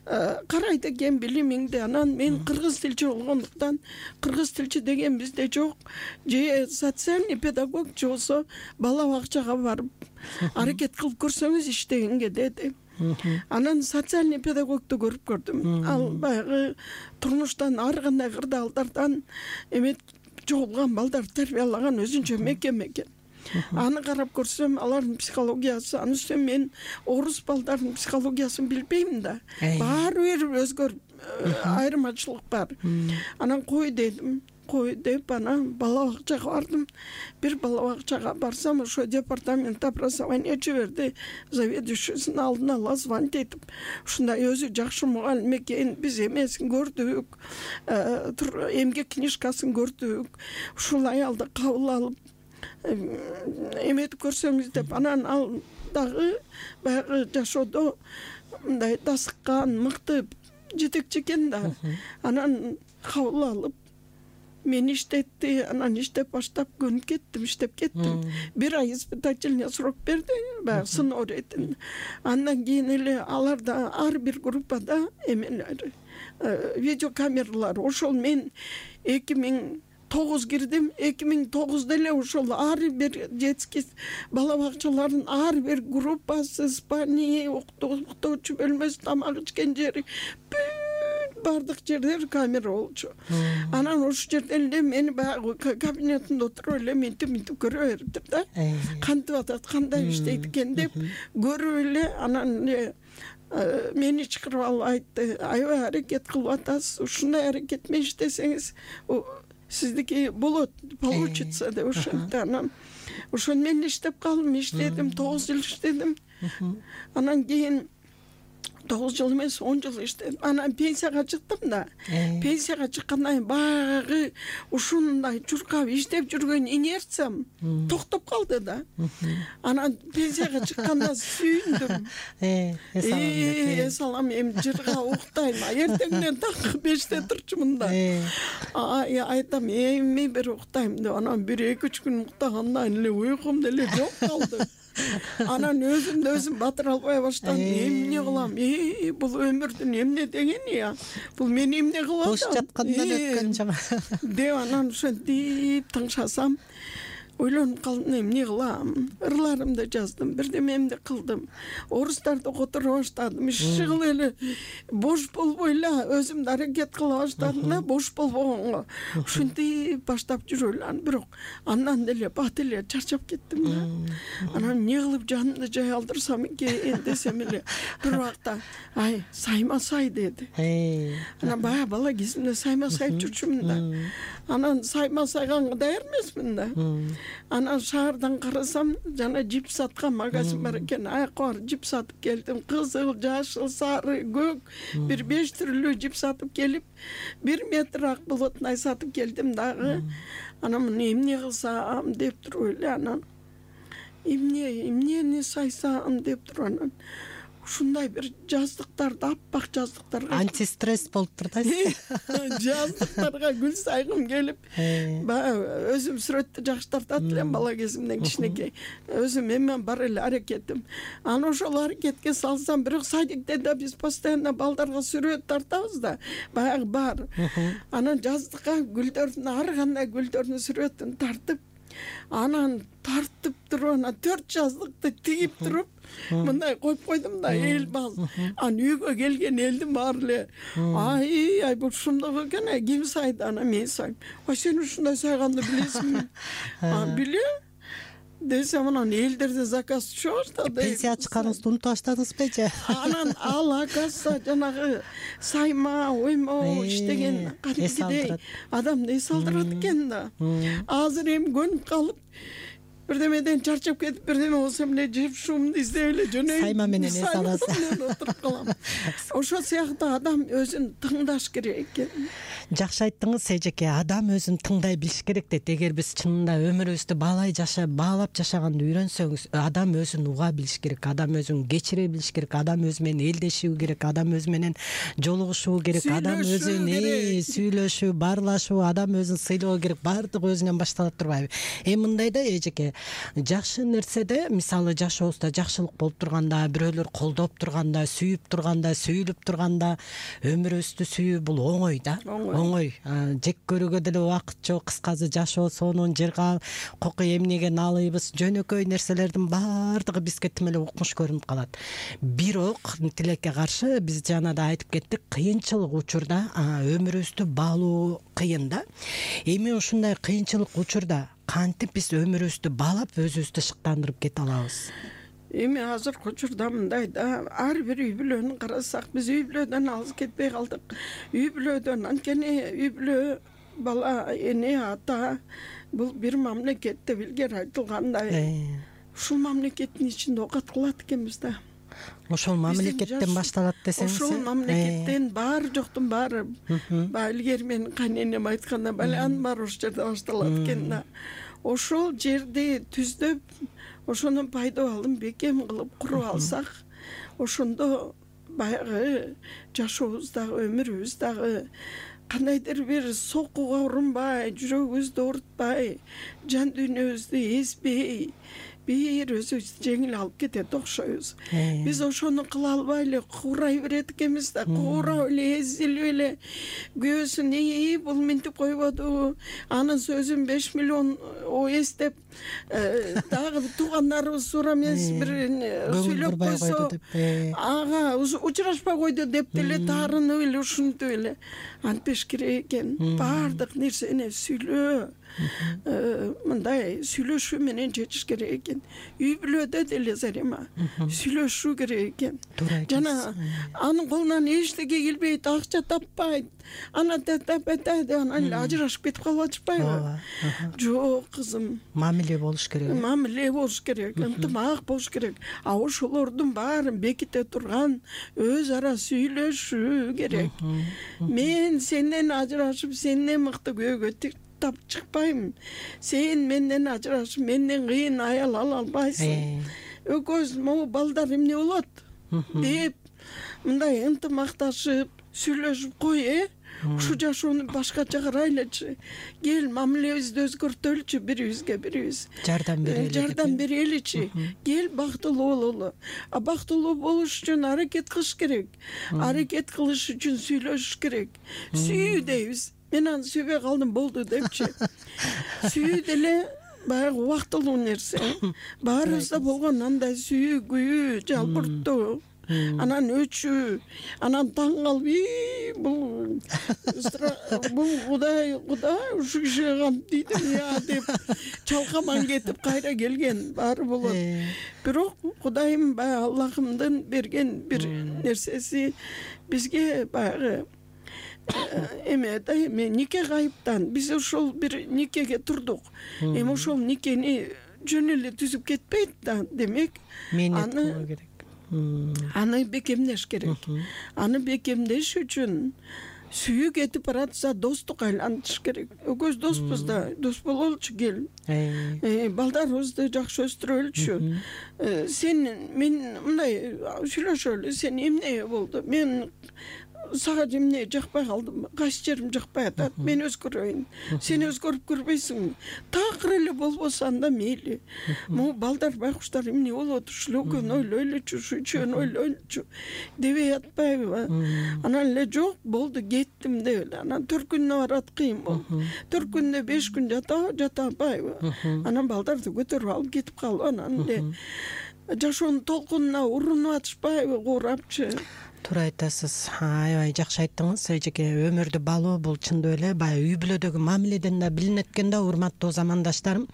D: карайт экен билимиңди. Анан мен кыргыз тилчи болгондуктан, кыргыз тилчи деген бизде жок. Же социальный педагог, же болсо бала бакчага барып аракет кылып көрсөңүз иштегенге деди. Анан социальный педагогду көрүп көрдүм. Ал баягы турмуштан ар кандай кырдаалдардан эме чогулган балдарды тарбиялаган өзүнчө мекеме экен. Аны карап көрсөм, алардын психологиясы, анын үстүнө мен орус балдардын психологиясын билбейм да. Баары бир өзгөрүп, айырмачылык бар. Анан кой дедим. Кой деп анан бала бакчага бардым. Бир бала бакчага барсам, ошо департамент образования жиберди. Заведующийсин алдына ала звонить этип, ушундай өзү жакшы мугалим экен, биз эмесин көрдүк, эмгек книжкасын көрдүк. Ушул аялды кабыл алып эметип көрсөңүз деп, анан ал дагы баягы жашоодо мындай дасыккан, мыкты жетекчи экен да. Анан кабыл алып мени иштетти, анан иштеп баштап көнүп кеттим, иштеп кеттим. Бир ай испытательный срок берди, баягы сыноо иретин. Андан кийин эле аларда ар бир группада эмелер, видеокамералар. Ошол мен 2009 кирдим, 2009 эле ошол ар бир детский бала бакчалардын ар бир группасы, спальни, уктоочу бөлмөсү, тамак ичкен жери, бардык жердер камера болчу. Анан ошол жерден эле мени баягы кабинетинде отуруп эле мынтип көрө бериптир да. Кантип атат, кандай иштейт экен деп көрүп эле, анан мени чакырып алып айтты, аябай аракет кылып атасыз, ушундай аракет менен иштесеңиз сиздики болот, получится деп ошентти. Анан ошону мен иштеп калдым, иштедим, 9 жыл иштедим. Анан кийин 9 жыл эмес 10 жыл иштедим. Анан пенсияга чыктым да. Пенсияга чыккандан кийин баягы ушундай чуркап иштеп жүргөн инерциям токтоп калды да. Анан пенсияга чыкканда сүйүндүм. Эс алам, эми жырга уктайм. Эртеңден таңкы 5те турчумун да. Айтам, эми бир уктайм деп. Анан 1-2 күн уктагандан эле уйкум деле жок калды. Анан өзүмдү өзүм батыра албай баштадым. Эмне кылам? Бул өмүрдүн эмне дегени я? Бул мени эмне кылып атат?
C: Бош жаткандан өткөн жана.
D: Деп анан ошентип тыңшасам, ойлонуп калдым, эмне кылам? Ырларымды жаздым, бирдемемди кылдым. Орустарды которо баштадым. Шыгыл эле бош болбой эле өзүмдү аракет кыла баштадым да, бош болбогонго. Ушинтип баштап жүрөлүм, бирок андан деле бат эле чарчап кеттим да. Анан эмне кылып жанымды жай алдырсам экен десем эле бир убакта Сайма Сай деди. Анан баягы бала кезимде Сайма Сайып жүрчүмүн да. Анан Сайма Сайга даяр эмесмин да. Анан шаардан карасам, жана жип саткан магазин бар экен. Аякка барып жип сатып келдим. Кызыл, жашыл, сары, көк, бир 5 түрлүү жип сатып келип, 1 метр ак болотнай сатып келдим дагы. Анан эмне кылсам деп туруп эле анан эмнени сайсам деп туруп анан ушундай бир жаздыктарды, аппак жаздыктарга
C: антистресс болуптур да.
D: жаздыктарга гүл сайгым келип, баягы өзүм сүрөттү жакшы тартат элем бала кезимден кичинекей. Өзүм эме бар эле аракетим. Анан ошол аракетке салсам, бирок садикте да биз постоянно балдарга сүрөт тартабыз да, баягы бар. Анан жаздыкка гүлдөрдүн, ар кандай гүлдөрдүн сүрөтүн тартып, анан тартып туруп, анан 4 жаздыкты тигип туруп, мындай коюп койдум да, эл баз. Анан үйгө келген элдин баары эле, ай бул ушундой экен, ким сайды? Анан мен сайым. Сен ушундай сайганды билесиңби? Билем десем, анан элдерден заказ түшө баштады.
C: Пенсия чыкканыңызды унутуп баштадыңызбы же?
D: Анан ал акасы жанагы сайма, оймо иштеген кадимкидей адамды эс алдырат экен да. Азыр эми көнүп калып, бирдемеден чарчап кетип, бирдеме болсом эле жеп шуумду издеп эле жөнөйүп,
C: Сайма менен эс аласыз.
D: Отуруп калам. Ошол сыяктуу адам өзүн тыңдаш керек экен.
C: Жакшы айттыңыз, эжеке. Адам өзүн тыңдай билиш керек дейт. Эгер биз чынында өмүрүбүздү баалап жашаганды үйрөнсөңүз, адам өзүн уга билиш керек, адам өзүн кечире билиш керек, адам өзү менен элдешүү керек, адам өзү менен жолугушуу керек, адам өзүн сүйлөшүү, баарлашуу, адам өзүн сыйлоо керек. Баардыгы өзүнөн башталат турбайбы? Мындай да эжеке, жакшы нерседе, мисалы жашообузда жакшылык болуп турганда, бирөөлөр колдоп турганда, сүйүп турганда, сүйлүп турганда, өмүрүбүздү сүйүү бул оңой да. Оңой. Жек көрүүгө деле убакыт жок. Кыскасы жашоо сонун, жыргал, коку эмнеген алыбыз, жөнөкөй нерселердин баардыгы бизге тим эле укмуш көрүнүп калат. Бирок тилекке каршы биз жана да айтып кеттик, кыйынчылык учурда өмүрүбүздү баалоо кыйын да. Эми ушундай кыйынчылык учурда кантип биз өмүрүбүздү баалап өзүбүздү шыктандырып кете алабыз?
D: Эми азыркы учурда мындай да, ар бир үй бүлөнү карасак, биз үй бүлөдөн алыс кетпей калдык. Үй бүлөдөн анткени үй бүлө, бала, эне, ата бул бир мамлекет деп илгери айтылгандай. Ушул мамлекеттин ичинде оокат кылат экенбиз да.
C: Ошол мамлекеттен башталат десеңиз.
D: Ошол мамлекеттен баары жоктун баары. Илгери менин кайненем айтканда, баланын баары ошол жерде башталат экен да. Ошол жерди түздөп, ошонун пайдабалын бекем кылып куруп алсак, ошондо баягы жашообуздагы, өмүрүбүздагы кандайдыр бир сокууга урунбай, жүрөгүбүздү оорутпай, жан дүйнөбүздү эзбей, бир өзүбүздү жеңил алып кетет окшойбуз. Биз ошону кыла албай эле куурай берет экенбиз да, куурап эле, эзилип эле, күйөөсүн бул минтип койбоду, анын сөзүн 5 миллион эстеп, дагы туугандарыбыз туура эмес бир сүйлөп койсо, ага учурашпай койду деп деле таарынып эле, ушинтип эле антпеш керек экен. Баардык нерсени сүйлөө, мындай сүйлөшүү менен чечиш керек экен. Үй бүлөдө деле Зарема сүйлөшүү керек экен.
C: Туура
D: Жана анын колунан эчтеке келбейт, акча таппайт. Анан анан ажырашып кетип калып атышпайбы? Жок, кызым.
C: Мамиле болуш керек.
D: Мамиле болуш керек, ынтымак болуш керек. А ошолордун баарын беките турган өз ара сүйлөшүү керек. Мен сенден ажырашып, сенден мыкты күйөөгө тап чыкпайм. Сен менден ажырашып, менден кыйын аял ала албайсың. Экөөбүз могу балдар эмне болот деп мындай ынтымакташып сүйлөшүп кой, ушу жашоону башкача карайлычы. Кел, мамилебизди өзгөртөлүчү, бирибизге бирибиз
C: жардам
D: береличи. Кел, бактылуу бололу. А бактылуу болуш үчүн аракет кылыш керек. Аракет кылыш үчүн сүйлөшүш керек. Сүйүү дейбиз. Мен аны сүйбөй калдым болду депчи. Сүйүү деле баягы убактылуу нерсе. Баарыбызда болгон андай сүйүү, жалбырттоо, анан өчүү, анан таң калып, бул Кудай ушу кишиге кантип дейдим я деп чалкаман кетип кайра келген баары болот. Бирок Кудайым баягы Аллахымдын берген бир нерсеси бизге баягы эме нике кайыптан биз ошол бир никеге турдук. Эми ошол никени жөн эле түзүп кетпейт да, демек аны бекемдеш керек. Аны бекемдеш үчүн сүйүү кетип баратса достук айлантыш керек. Экөөбүз доспуз да, дос бололучу, кел. Балдарыбызды жакшы өстүрөлүчү. Мен мындай сүйлөшөлү, сен эмне болду? Мен сага эмне жакпай калдым, кайсы жерим жакпай атат, мен өзгөрөйүн, сен өзгөрүп көрбөйсүңбү? Такыр эле болбосо анда мейли. Могу балдар, байкуштар эмне болот, ушул экөөнү ойлойлучу, ушу үчөөнү ойлойлучу дебей атпайбы? Анан эле жок, болду, кеттим деп эле. Анан 4 күнүнө барат, кыйын болду. 4 күндө 5 күн жата албайбы? Анан балдарды көтөрүп алып кетип калып, анан эле жашоонун толкунуна урунуп атышпайбы, куурапчы?
C: Туура айтасыз. Аябай жакшы айттыңыз. Эжеке, өмүрдү балуу бул чындап эле баягы үй бүлөдөгү мамиледен да билинет экен да, урматтуу замандаштарым.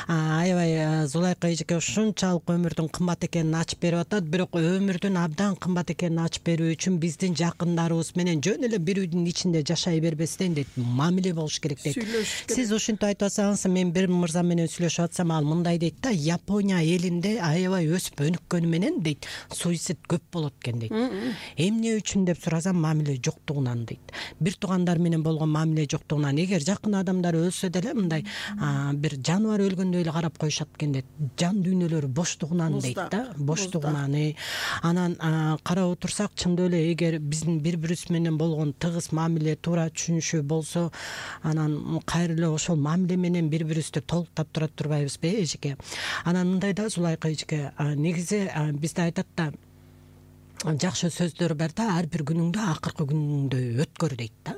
C: Аябай Зулайка эжеке ушунчалык өмүрдүн кымбат экенин ачып берип атат. Бирок өмүрдүн абдан кымбат экенин ачып берүү үчүн биздин жакындарыбыз менен жөн эле бир үйдүн ичинде жашай бербестен дейт, мамиле болуш керек дейт. Сиз ушинтип айтып атсаңыз, мен бир мырза менен сүйлөшүп атсам, ал мындай дейт да: Япония элинде аябай өсүп өнүккөнү менен дейт, суицид көп болот экен дейт. Эмне үчүн деп сурасам, мамиле жоктугунан дейт. Бир туугандар менен болгон мамиле жоктугунан. Эгер жакын адамдар өлсө деле мындай бир жаныбар өлгөндөй эле карап коюшат экен дейт. Жан дүйнөлөрү боштугунан дейт да, боштугунан. Анан карап отурсак, чындап эле эгер биздин бири-бирибиз менен болгон тыгыз мамиле, туура түшүнүшүү болсо, анан кайра эле ошол мамиле менен бири-бирибизди толуктап тура турбайбызбы, эжеке? Анан мындай да, Зулайка эжеке, негизи бизде айтат да, жакшы сөздөр бар да, ар бир күнүңдү акыркы күнүңдөй өткөр дейт да.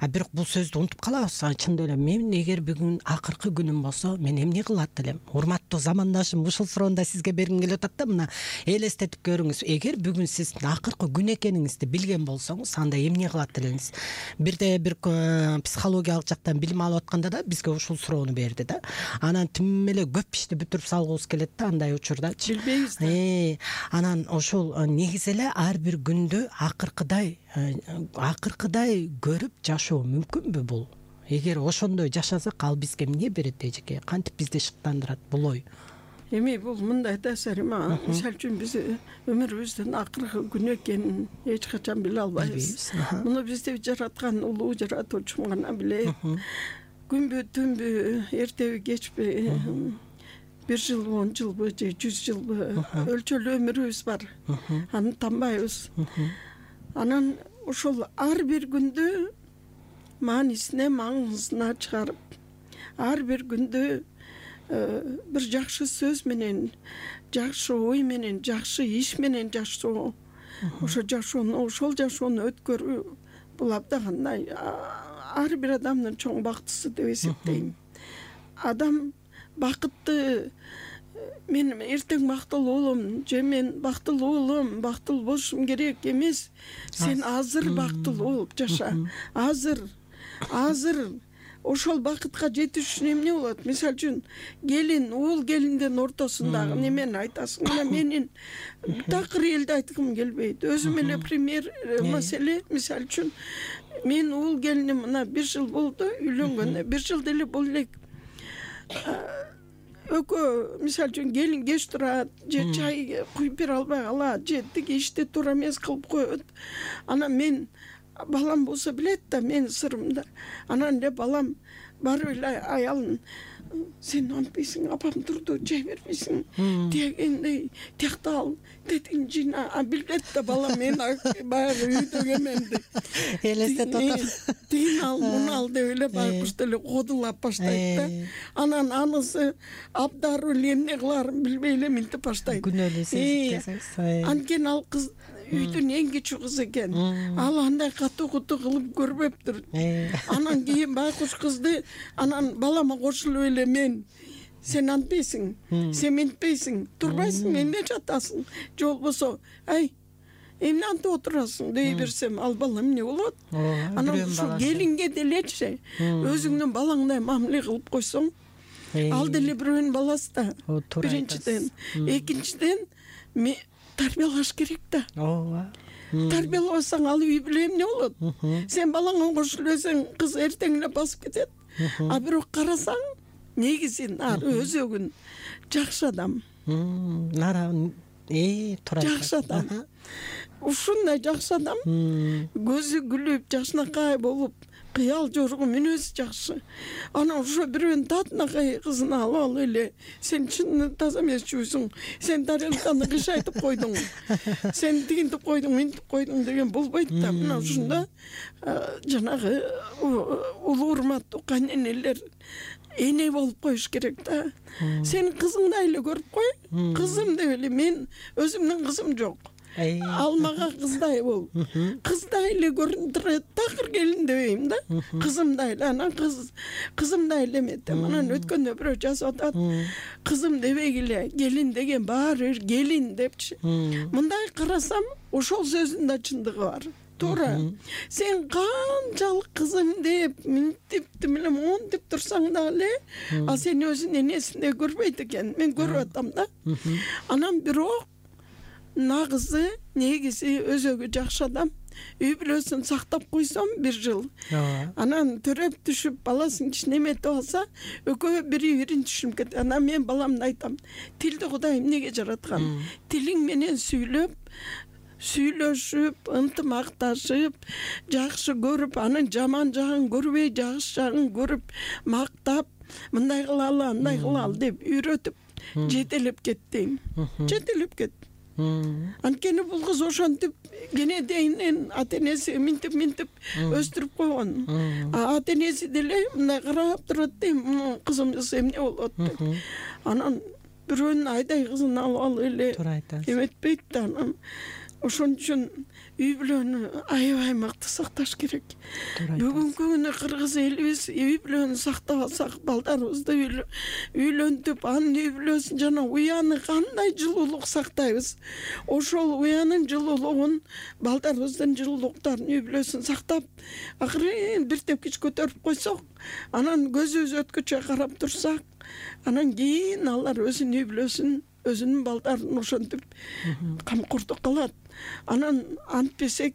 C: Бирок бул сөздү унутуп калабыз. Чындап эле мен эгер бүгүн акыркы күнүм болсо, мен эмне кылат элем? Урматтуу замандашым, ушул суроону да сизге бергим келип атат да. Мына элестетип көрүңүз. Эгер бүгүн сиз акыркы күн экениңизди билген болсоңуз, анда эмне кылат элеңиз? Бирде бир психологиялык жактан билим алып атканда да бизге ушул суроону берди да. Анан тим эле көп ишти бүтүрүп салгыбыз келет да, андай учурдачы.
D: Билбейбиз да.
C: Анан ошол негизи ар бир күндү акыркыдай көрүп жашоо мүмкүнбү бул? Эгер ошондой жашасак, ал бизге эмне берет, эжеке? Кантип бизди шыктандырат бул ой?
D: Эми бул мындай да, Сарима, мисалы үчүн биз өмүрүбүздүн акыркы күнү экенин эч качан биле албайбыз. Муну бизди жараткан улуу жаратуучум гана билет. Күнбү түнбү, эртеби кечпи, 1 жыл, 10 жылбы же 100 жылбы өлчөлүү өмүрүбүз бар. Аны танбайбыз. Анан ошол ар бир күндү маанисине, маңызына чыгарып, ар бир күндү бир жакшы сөз менен, жакшы ой менен, жакшы иш менен жашоо, ошол жашоону өткөрүү, бул абдан ар бир адамдын чоң бактысы деп эсептейм. Адам бакытты, мен эртең бактылуу болом, же мен бактылуу болом, бактылуу болушум керек эмес. Сен азыр бактылуу болуп жаша. Азыр ошол бакытка жетиш үчүн эмне болот? Мисалы үчүн келин, уул келиндин ортосундагы немени айтасың. Мына менин такыр элди айткым келбейт. Өзүм эле пример маселе, мисалы үчүн мен уул келиним мына 1 жыл болду үйлөнгөнүнө. 1 жыл деле боло элек. Экөө мисалы үчүн келин кеч турат, же чай куюп бере албай калат, же тиги иште туура эмес кылып коет. Анан мен балам болсо билет да менин сырымды. Анан эле балам барып эле аялын сен антпейсиң, апам турду, чай бербейсиң, дегендей, тиякта ал, тетиң жина, билбет да балам мен баягы үйдө кемемди.
C: Элестетип атат.
D: Тигин ал, муну ал деп эле байкуш деле кодулап баштайт да. Анан анысы абдаруу эле эмне кылаарын билбей эле минтип баштайт.
C: Күнөөлүү сезип.
D: Анткени ал кыз үйдүн эң кичүү кызы экен. Ал андай катуу кылып көрбөптүр. Анан кийин байкуш кызды анан балама кошулуп эле мен сен антпейсиң, сен минтпейсиң, турбайсың, эмне жатасың, же болбосо ай эмне антып отурасың дей берсем, ал бала эмне болот? Анан ушул келинге делечи өзүңдүн балаңдай мамиле кылып койсоң, ал деле бирөөнүн баласы да. Биринчиден, экинчиден тарбиялаш керек да. Ооба. Тарбиялабасаң ал үй бүлө эмне болот? Сен балаңа кошулуп элсең, кыз эртең эле басып кетет. А бирок карасаң, негизи өзөгүн жакшы адам. Жакшы адам. Ушундай жакшы адам көзү күлүп, жакшынакай болуп, кыял жоргу мүнөзү жакшы. Анан ошо бирөөнүн татынакай кызын алып эле сен чын таза эмес чүгүсүң, сен тарелканы кышайтып койдуң, сен тигинтип койдуң, минтип койдуң деген болбойт да. Мына ушунда жанагы улуу урматтуу кайненелер эне болуп коюш керек да. Сен кызыңдай эле көрүп кой. Кызым деп эле, мен өзүмдүн кызым жок. Ал мага кыздай бол. Кыздай эле көрүндүрөт, такыр келин дебейм да. Кызымдай эле, анан кызымдай эле эметем. Анан өткөндө бирөө жазып атат. Кызым дебей эле, келин деген баары бир келин депчи. Мындай карасам, ошол сөздүн да чындыгы бар. Туура. Сен канчалык кызым деп, минтип билем, монтип турсаң да эле, ал сени өзүнүн энесиндей көрбөйт экен. Мен көрүп атам да. Анан бирок нагызы, негизи өзөгү жакшы адам. Үй бүлөсүн сактап койсом 1 жыл. Анан төрөп түшүп, баласын кичинеметип алса, экөө бири-бирин түшүнүп кетет. Анан мен баламды айтам, тилди Кудай эмнеге жараткан? Тилиң менен сүйлөшүп, ынтымакташып, жакшы көрүп, анын жаман жагын көрбөй, жакшы жагын көрүп, мактап, мындай кылалы, андай кылалы деп үйрөтүп, жетелеп кетти. Жетелеп кет. Анткени бул кыз ошентип кенедейинен ата-энеси минтип өстүрүп койгон. Ата-энеси деле мындай карап турат дейм, кызымыз эмне болот деп. Анан бирөөнүн айдай кызын алып эле эметпейт да. Анан ошон үчүн үй бүлөнү аябай мыкты сакташ керек. Бүгүнкү күнү кыргыз элибиз үй бүлөнү сактап алсак, балдарыбызды үйлөнтүп, анын үй бүлөсүн жана уяны кандай жылуулук сактайбыз. Ошол уянын жылуулугун, балдарыбыздын жылуулуктарын, үй бүлөсүн сактап, акырын бир тепкич көтөрүп койсок, анан көзүбүз өткөчө карап турсак, анан кийин алар өзүнүн үй бүлөсүн, өзүнүн балдарын ошентип камкордук кылат. Анан антпесек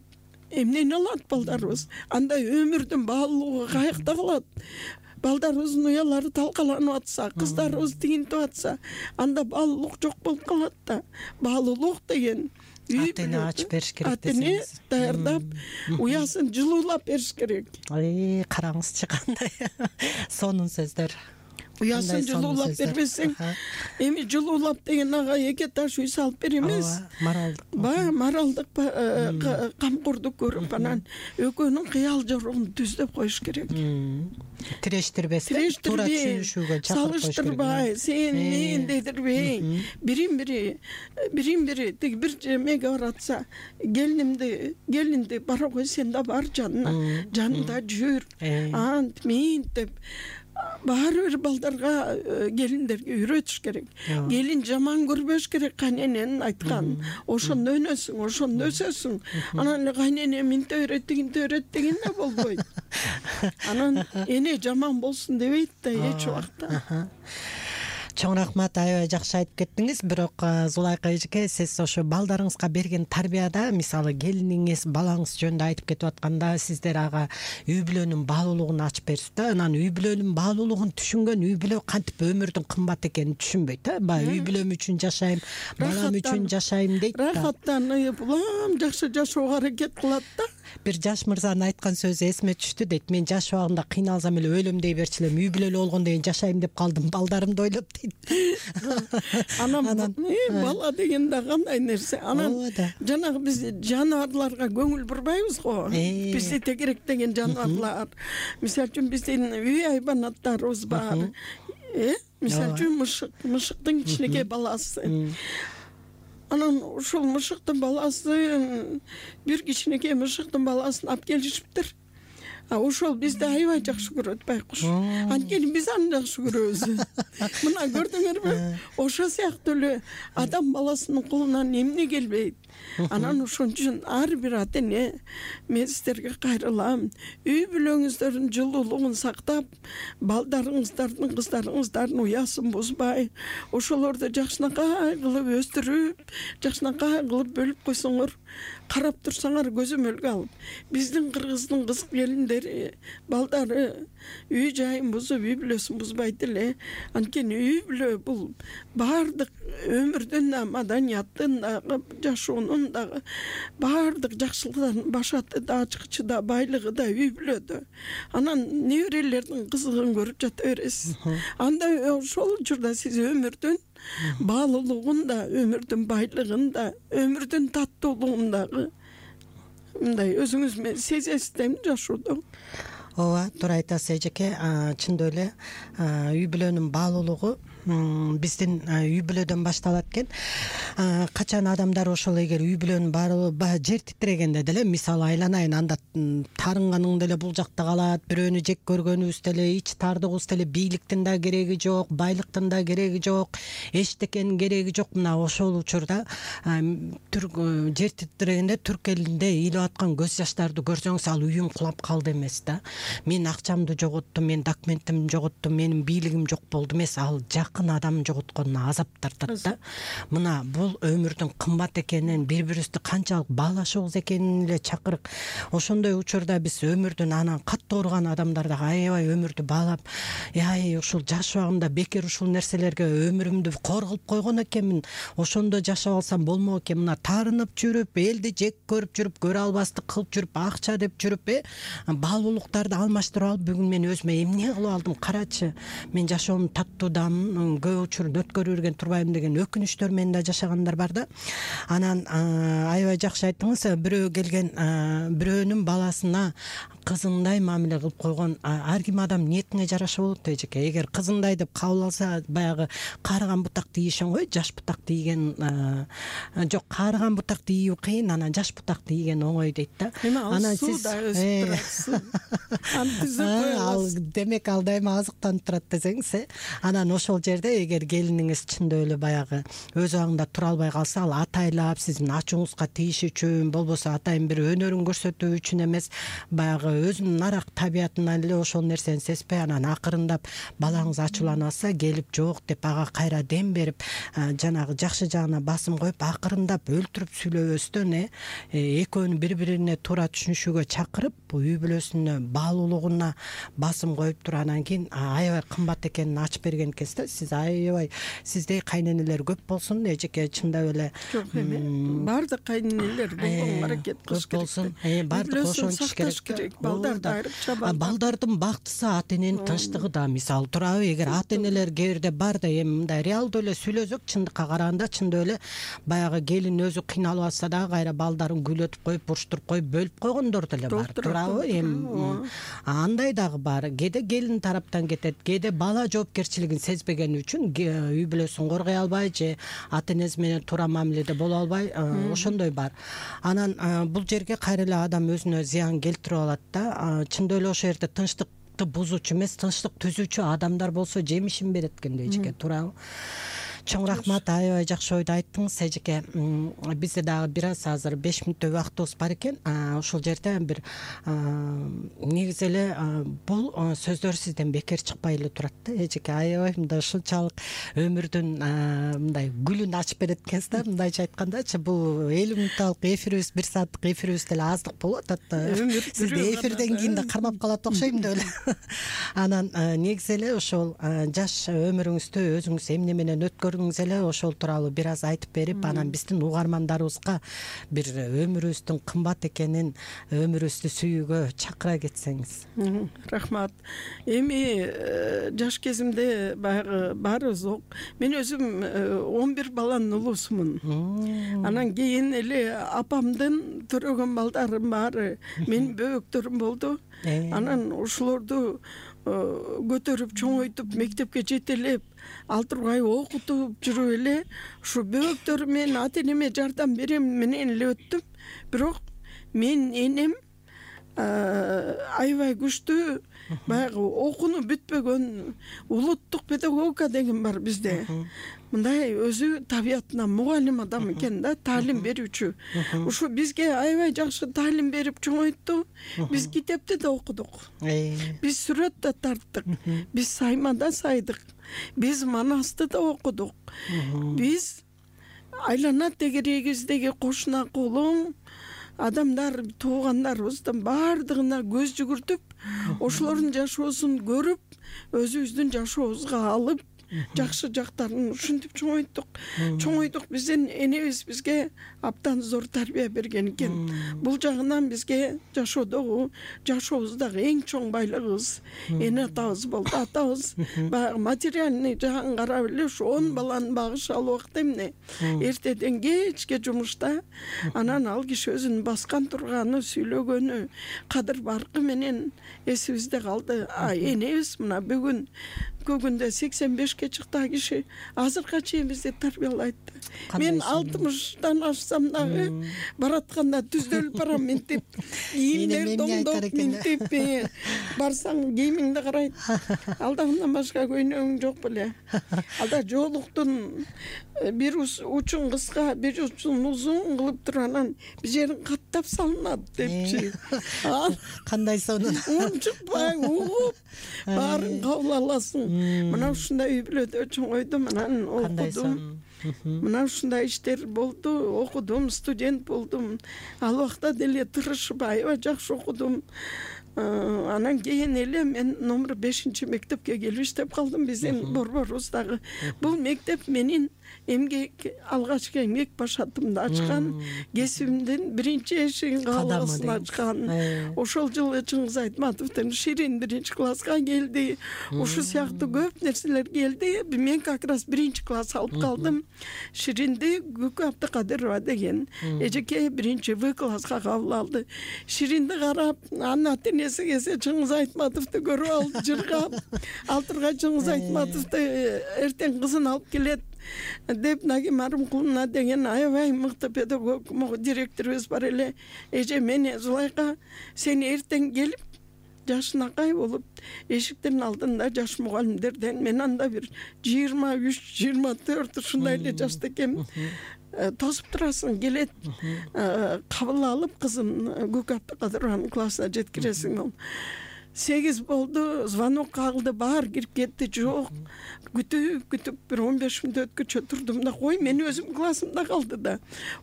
D: эмнени алат балдарыбыз? Андай өмүрдүн баалуулугу каякта калат? Балдарыбыздын уялары талкаланып атса, кыздарыбыз тигинтип атса, анда баалуулук жок болуп калат да. Баалуулук деген ата-эне ачып бериш керек десеңиз. Ата-эне даярдап, уясын жылуулап бериш керек.
C: Караңызчы кандай сонун сөздөр.
D: Уясын жылуулап бербесең, эми жылуулап деген ага 2 таш үй салып бер эмес. Моралдык камкордук көрүп, анан экөөнүн кыял жоругун түздөп коюш керек.
C: Тирештирбестен, туура түшүнүшүүгө чакырып коюш керек.
D: Салыштырбай, сен мен дедирбей, бирин-бири тиги бир жемеге баратса, келинди бара кой, сен да бар жанында жүр, ант, минт деп. Баары бир балдарга, келиндерге үйрөтүш керек. Келин жаман көрбөш керек кайнененин айтканын. Ошондо өнөсүң, ошондо өсөсүң. Анан эле кайнене минте үйрөт, тигинте үйрөт деген да болбойт. Анан эне жаман болсун дебейт да эч убакта.
C: Чоң рахмат, аябай жакшы айтып кеттиңиз. Бирок Зулайка эжеке, сиз ошо балдарыңызга берген тарбияда, мисалы келиниңиз, балаңыз жөнүндө айтып кетип атканда, сиздер ага үй бүлөнүн баалуулугун ачып берип да, анан үй бүлөнүн баалуулугун түшүнгөн үй бүлө кантип өмүрдүн кымбат экенин түшүнбөйт, Баягы үй бүлөм үчүн жашайм, балам үчүн жашайм дейт да.
D: Рахаттанып, улам жакшы жашоого аракет кылат да.
C: Бир жаш мырзанын айткан сөзү эсиме түштү дейт. Мен жаш убагымда кыйналсам эле өлөм дей берчү элем, үй бүлөлүү болгондон кийин жашайм деп калдым, балдарымды ойлоп дейт.
D: Анан бала деген да кандай нерсе. Анан жанагы биз жаныбарларга көңүл бурбайбыз го. Бизде тегеректеген жаныбарлар. Мисалы үчүн биздин үй хайванаттарыбыз бар. Мисалы үчүн мышыктын кичинекей баласы. Анан ушул мышыктын баласы, бир кичинекей мышыктын баласын алып келишиптир. Ошол бизди аябай жакшы көрөт байкуш. Анткени биз аны жакшы көрөбүз. Мына көрдүңөрбү? Ошо сыяктуу эле адам баласынын колунан эмне келбейт. Анан ошон үчүн ар бир ата эне, мен сиздерге кайрылам. Үй бүлөңүздөрдүн жылуулугун сактап, балдарыңыздардын, кыздарыңыздардын уясын бузбай, ошолорду жакшынакай кылып өстүрүп, жакшынакай кылып бөлүп койсоңор, карап турсаңар көзөмөлгө алып, биздин кыргыздын кыз келиндери, балдары үй жайын бузуп, үй бүлөсүн бузбайт эле. Анткени үй бүлө бул баардык өмүрдүн да, маданияттын дагы, жашоонун дагы баардык жакшылыктын башаты да, ачкычы да, байлыгы да үй бүлөдө. Анан неберелердин кызыгын көрүп жата бересиз. Анда ошол учурда сиз өмүрдүн баалуулугун да, өмүрдүн байлыгын да, өмүрдүн таттуулугун дагы мындай өзүңүз менен сезесиз дейм жашоодо.
C: Ооба, туура айтасыз эжеке. Чындап эле үй бүлөнүн баалуулугу биздин үй бүлөдөн башталат экен. Качан адамдар ошол эгер үй бүлөнүн баалуулугу жер титирегенде деле, мисалы айланайын, анда тарынганың деле бул жакта калат, бирөөнү жек көргөнүбүз деле, ич тардыгыбыз деле бийликтин да кереги жок, байлыктын да кереги жок, эчтекенин кереги жок. Мына ошол учурда жер титирегенде түрк элинде ыйлап аткан көз жаштарды көрсөңүз, ал үйүм кулап калды эмес да. Мен акчамды жоготтум, мен документимди жоготтум, менин бийлигим жок болду эмес, ал жакын адам жоготконуна азап тартат да. Мына бул өмүрдүн кымбат экенин, бири-бирибизди канчалык баалашыбыз экенин эле чакырык. Ошондой учурда биз өмүрдүн анан катты ооруган адамдар да аябай өмүрдү баалап, ушул жаш убагымда бекер ушул нерселерге өмүрүмдү кор кылып койгон экенмин, ошондо жашап алсам болмок экен. Мына таарынып жүрүп, элди жек көрүп жүрүп, көрө албастык кылып жүрүп, акча деп жүрүп, баалуулуктарды алмаштырып алып, бүгүн мен өзүмө эмне кылып алдым, карачы. Мен жашоомду таттуудамын, көп учурду өткөрүп жүргөн турбайм деген өкүнүчтөр менен да жашагандар бар да. Анан аябай жакшы айттыңыз. Бирөө келген, бирөөнүн баласына кызындай мамиле кылып койгон ар ким адам ниетине жараша болот эжеке. Эгер кызындай деп кабыл алса, баягы каарыган бутакты ийишен го, жаш бутакты ийген жок, каарыган бутакты ийүү кыйын, анан жаш бутакты ийген оңой дейт да.
D: Анан сиз
C: ал демек ал дайыма азыктанып турат десеңиз, анан ошол жерде эгер келиниңиз чындап эле баягы өз абагында тура албай калса, ал атайлап сиздин ачууңузга тийиш үчүн, болбосо атайын бир өнөрүн көрсөтүү үчүн эмес, баягы өзүнүн нарак табиятынан эле ошол нерсени сезбей, анан акырындап балаңыз ачууланып алса, келип жок деп ага кайра дем берип, жанагы жакшы жагына басым коюп, акырындап өлтүрүп сүйлөбөстөн экөөнү бири-бирине туура түшүнүшүүгө чакырып, үй бүлөсүнө баалуулугуна басым коюп туруп, анан кийин аябай кымбат экенин ачып берген экенсиз да. Сиз аябай, сиздей кайненелер көп болсун эжеке, чындап эле.
D: Жок эме, баардык кайненелер болгонго аракет кылыш керек болсун.
C: Баардык ошончу керек.
D: Балдарды айрыкча
C: балдардын бактысы ата эненин тынчтыгы да, мисалы туурабы. Эгер ата энелер кээ бирде бар да, эми мындай реалдуу эле сүйлөсөк, чындыкка караганда чындап эле баягы келин өзү кыйналып атса дагы кайра балдарын күйлөтүп коюп, буруштуруп коюп, бөлүп койгондор деле бар, туурабы. Эми андай дагы бар. Кээде келин тараптан кетет, кээде бала жоопкерчилигин сезбегени үчүн үй бүлөсүн коргой албай же ата энеси менен туура мамиледе боло албай, ошондой бар. Анан бул жерге кайра эле адам өзүнө зыян келтирип алат да. Чындап эле ошол жерде тынчтыкты бузуучу эмес, тынчтык түзүүчү адамдар болсо жемишин берет экен эжеке, туурабы. Чоң рахмат, аябай жакшы ойду айттыңыз эжеке. Бизде дагы бир аз азыр 5 мүнөттөй убактыбыз бар экен. Ошол жерде бир негизи эле бул сөздөр сизден бекер чыкпай эле турат да эжеке. Аябай мындай ушунчалык өмүрдүн мындай гүлүн ачып берет экенсиз да, мындайча айткандачы. Бул 50 мүнөттүк эфирибиз, 1 сааттык эфирибиз деле аздык болуп атат. Сизди эфирден кийин да кармап калат окшойм деп эле. Анан негизи эле ошол жаш өмүрүңүздө өзүңүз эмне менен өткөрдүңүз эле ошол тууралуу бир аз айтып берип, анан биздин угармандарыбызга бир өмүрүбүздүн кымбат экенин, өмүрүбүздү сүйүүгө чакыра кетсеңиз.
D: Рахмат. Эми жаш кезимде баягы баарыбыз мен өзүм 11 баланын улуусумун. Анан кийин эле апамдын төрөгөн балдарым баары менин бөбөктөрүм болду. Анан ошолорду көтөрүп чоңойтуп мектепке жетелеп ал тургай окутуп жүрүп эле ушу бөбөктөрүм менен ата энеме жардам берем менен эле өттүм. Бирок менин энем аябай күчтүү баягы окунуп бүтпөгөн улуттук педагогика деген бар бизде. Мындай өзү табиятынан мугалим адам экен да, таалим берүүчү. Ушу бизге аябай жакшы таалим берип чоңойтту. Биз китепти да окудук. Биз сүрөт да тарттык. Биз сайма да сайдык. Биз манасты да окудук. Биз айлана тегерегибиздеги кошуна колуң адамдар, туугандарыбыздын баардыгына көз жүгүртүп, ошолордун жашоосун көрүп, өзүбүздүн жашообузга алып, жакшы жактарын ушинтип чоңойдук. Биздин энебиз бизге абдан зор тарбия берген экен. Бул жагынан бизге жашообуздагы эң чоң байлыгыбыз эне атабыз болду. Атабыз баягы материальный жагын карап эле ушу 10 баланы багышалы убакта эмне? Эртеден кечке жумушта, анан ал киши өзүнүн баскан турганы, сүйлөгөнү, кадыр баркы менен эсибизде калды. Энебиз мына бүгүн көгүндө 85-ке чыкты киши азыркыга чейин бизди тарбиялайт. Мен 60-тан ашсам дагы баратканда түздөлүп барам ментип, кийимдер доңдоп ментип, барсаң кийимиңди карайт. Алда мындан башка көйнөгүң жок беле. Алда жоолуктун бир учун кыска, бир учун узун кылып туруп анан бир жерин каттап салынат депчи.
C: Кандай сонун.
D: Унчукпай угуп баарын кабыл аласың. Мына ушундай үй бүлөдө чоңойдум, анан окудум. Мына ушундай иштер болду, окудум, студент болдум. Ал убакта деле тырышып аябай жакшы окудум. Анан кийин эле мен номер 5 мектепке келип иштеп калдым биздин борборубуздагы. Бул мектеп менин эмгек, алгачкы эмгек башатымды ачкан, кесибимдин биринчи эшигин кааласын ачкан. Ошол жылы Чыңгыз Айтматовдун Ширин 1-класска келди. Ушу сыяктуу көп нерселер келди. Мен как раз 1-класс алып калдым. Ширинди Күкү Абдыкадырова деген эжеке 1-В-класска кабыл алды. Ширинди карап, анын ата энеси келсе Чыңгыз Айтматовду көрүп алып жыргап, ал тургай Чыңгыз Айтматовду эртең кызын алып келет деп Нагим Арымкуловна деген аябай мыкты педагог директорубуз бар эле. Эже мени Зулайка, сен эртең келип жашынакай болуп эшиктин алдында жаш мугалимдерден мен анда бир 23-24 ушундай эле жашта экенмин. Тосуп турасың, келет, кабыл алып кызым Күкү Абдыкадырованын классына жеткиресиң. 8 болду, звонок кагылды, баар кирип кетти, жок. Күтүп бир 15 мүнөт өткөчө турдум да, кой, мен өзүм классымда калды да.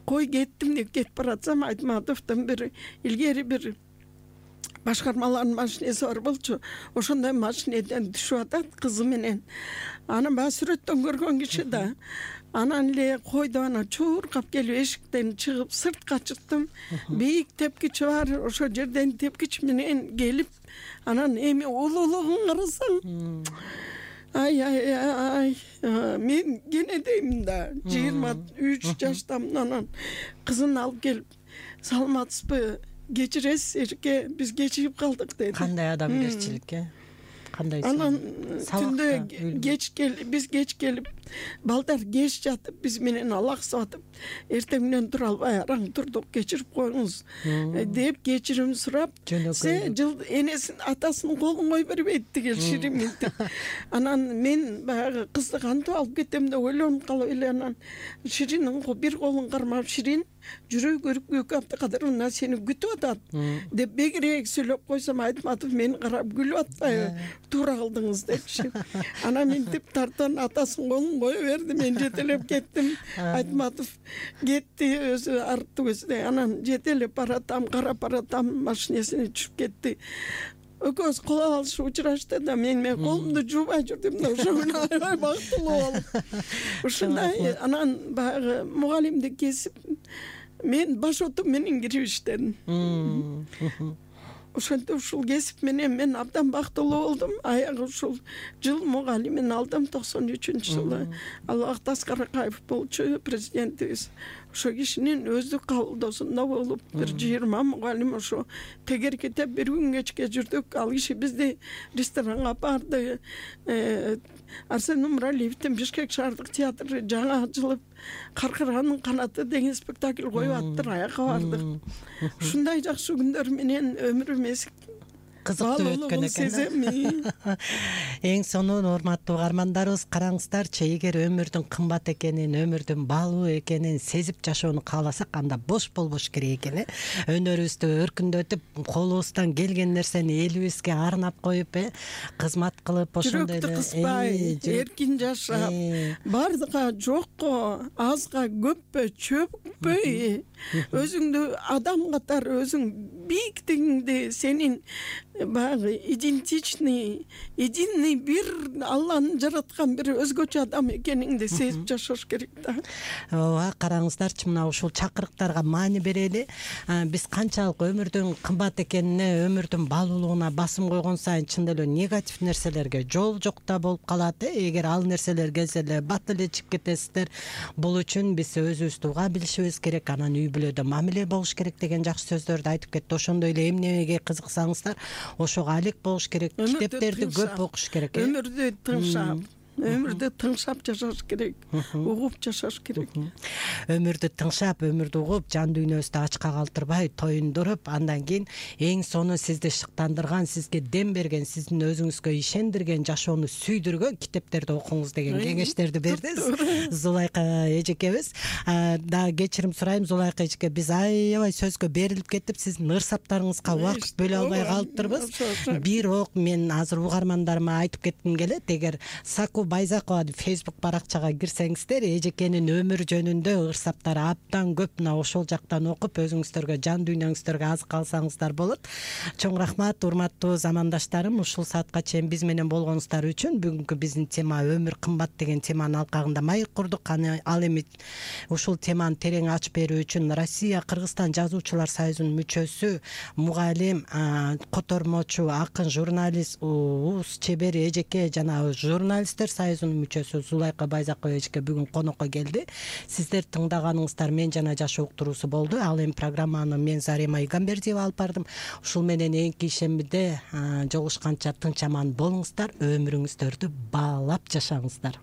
D: Кой кеттим деп кетип баратсам, Айтматовдун бир илгери бир башкармалардын машинеси бар болчу. Ошондой машинеден түшүп атат кызы менен. Анан баягы сүрөттөн көргөн киши да. Анан эле койду, ана чуркап келип эшиктен чыгып сыртка чыктым. Бийик тепкичи бар, ошол жерден тепкич менен келип, анан эми улуулугун карасаң. Ай, мен кенедеймин да, 23 жаштамын. Анан кызын алып келип, саламатсызбы, кечиресиз эжеке, биз кечигип калдык деди.
C: Кандай адамгерчилик, кандай
D: анан түндө биз кеч келип балдар кеч жатып биз менен алаксып атып эртеңден тура албай араң турдук кечирип коюңуз деп кечирим сурап жыл энесин атасынын колун кое бербейт тигил Ширин мынтип. Анан мен баягы кызды кантип алып кетем деп ойлонуп калып эле анан Ширинин бир колун кармап Ширин жүрөй көрүп Абдыкадыр мына сени күтүп атат деп бегирээк сүйлөп койсом Айтматов мени карап күлүп атпайбы, туура кылдыңыз депчи. Анан мынтип тартан атасынын колун кое берди, мен жетелеп кеттим. Айтматов кетти өзү арттуу көздөй. Анан жетелеп баратам, карап баратам, машинесине түшүп кетти. Экөөбүз кол алышып учурашты да мен колумду жуубай жүрдүм да ошону аябай бактылуу болуп. Ушундай анан баягы мугалимди кесип мен баш оту менен кирип иштедим. Ошентип ушул кесип менен мен абдан бактылуу болдум. Аягы ушул жыл мугалимин алдым 93-жылы. Албак Таскаракаев болчу президентибиз. Ошо кишинин өздүк кабылдоосунда болуп бир 20 мугалим ошо тегеркетеп бир күн кечке жүрдүк. Ал киши бизди ресторанга апарды. Арсен Умаралиевдин Бишкек шаардык театры жаңы ачылып, Каркыранын канаты деген спектакль коюп аттыр, аяка бардык. Ушундай жакшы күндөр менен өмүрүм
C: кызыктуу өткөн экен. Эң сонун урматтуу угармандарыбыз, караңыздарчы, эгер өмүрдүн кымбат экенин, өмүрдүн баалуу экенин сезип жашоону кааласак, анда бош болбош керек экен. Өнөрүбүздү өркүндөтүп, колубуздан келген нерсени элибизге арнап коюп, кызмат кылып, ошондой эле
D: жүрөктү кыспай, эркин жашап, бардыга жокко, азга көппө чөкпөй, өзүңдү адам катары өзүң бийиктигиңди, сенин баягы идентичный, единый бир Алланын жараткан бир өзгөчө адам экениңди сезип жашаш керек да.
C: Ооба, караңыздарчы, мына ушул чакырыктарга маани берели. Биз канчалык өмүрдүн кымбат экенине, өмүрдүн баалуулугуна басым койгон сайын чын эле негатив нерселерге жол жокта болуп калат. Эгер ал нерселер келсе эле бат эле чыгып кетесиздер. Бул үчүн биз өзүбүздү уга билишибиз керек, анан үй бүлөдө мамиле болуш керек деген жакшы сөздөрдү айтып кетти. Ошондой эле эмнеге кызыксаңыздар, ошого алек болуш керек, китептерди көп окуш керек.
D: Өмүрдү тыңшап, өмүрдү тыңшап жашаш керек, угуп жашаш керек.
C: Өмүрдү тыңшап, өмүрдү угуп, жан дүйнөбүздү ачка калтырбай, тоюндуруп, андан кийин эң сону сизди шыктандырган, сизге дем берген, сиздин өзүңүзгө ишендирген, жашоону сүйдүргөн китептерди окуңуз деген кеңештерди бердиңиз Зулайка эжекебиз. Дагы кечирим сурайм, Зулайка эжеке, биз аябай сөзгө берилип кеттип, сиздин ырсаптарыңызга убакыт бөлө албай калыптырбыз. Бирок мен азыр угармандарыма айтып кетким келет, эгер Саку Байзакова Facebook баракчага кирсеңиздер, эжекенин өмүр жөнүндө ырсаптары абдан көп. Мына ошол жактан окуп, өзүңүздөргө, жан дүйнөңүздөргө азык алсаңыздар болот. Чоң рахмат, урматтуу замандаштарым. Ушул саатка чейин биз менен болгонуңуздар үчүн. Бүгүнкү биздин тема өмүр кымбат деген теманын алкагында маек курдук. Ал эми ушул теманы терең ачып берүү үчүн Россия Кыргызстан жазуучулар союзунун мүчөсү, мугалим, котормочу, акын, журналист, уус чебери эжеке жана журналисттер союзунун мүчөсү Зулайка Байзакова эжеке бүгүн конокко келди. Сиздер тыңдаганыңыздар Мен жана жашоо уктуруусу болду. Ал эми программаны мен Зарема Игамбердиева алып бардым. Ушул менен эки ишембиде жолугушканча тынч аман болуңуздар, өмүрүңүздөрдү баалап жашаңыздар.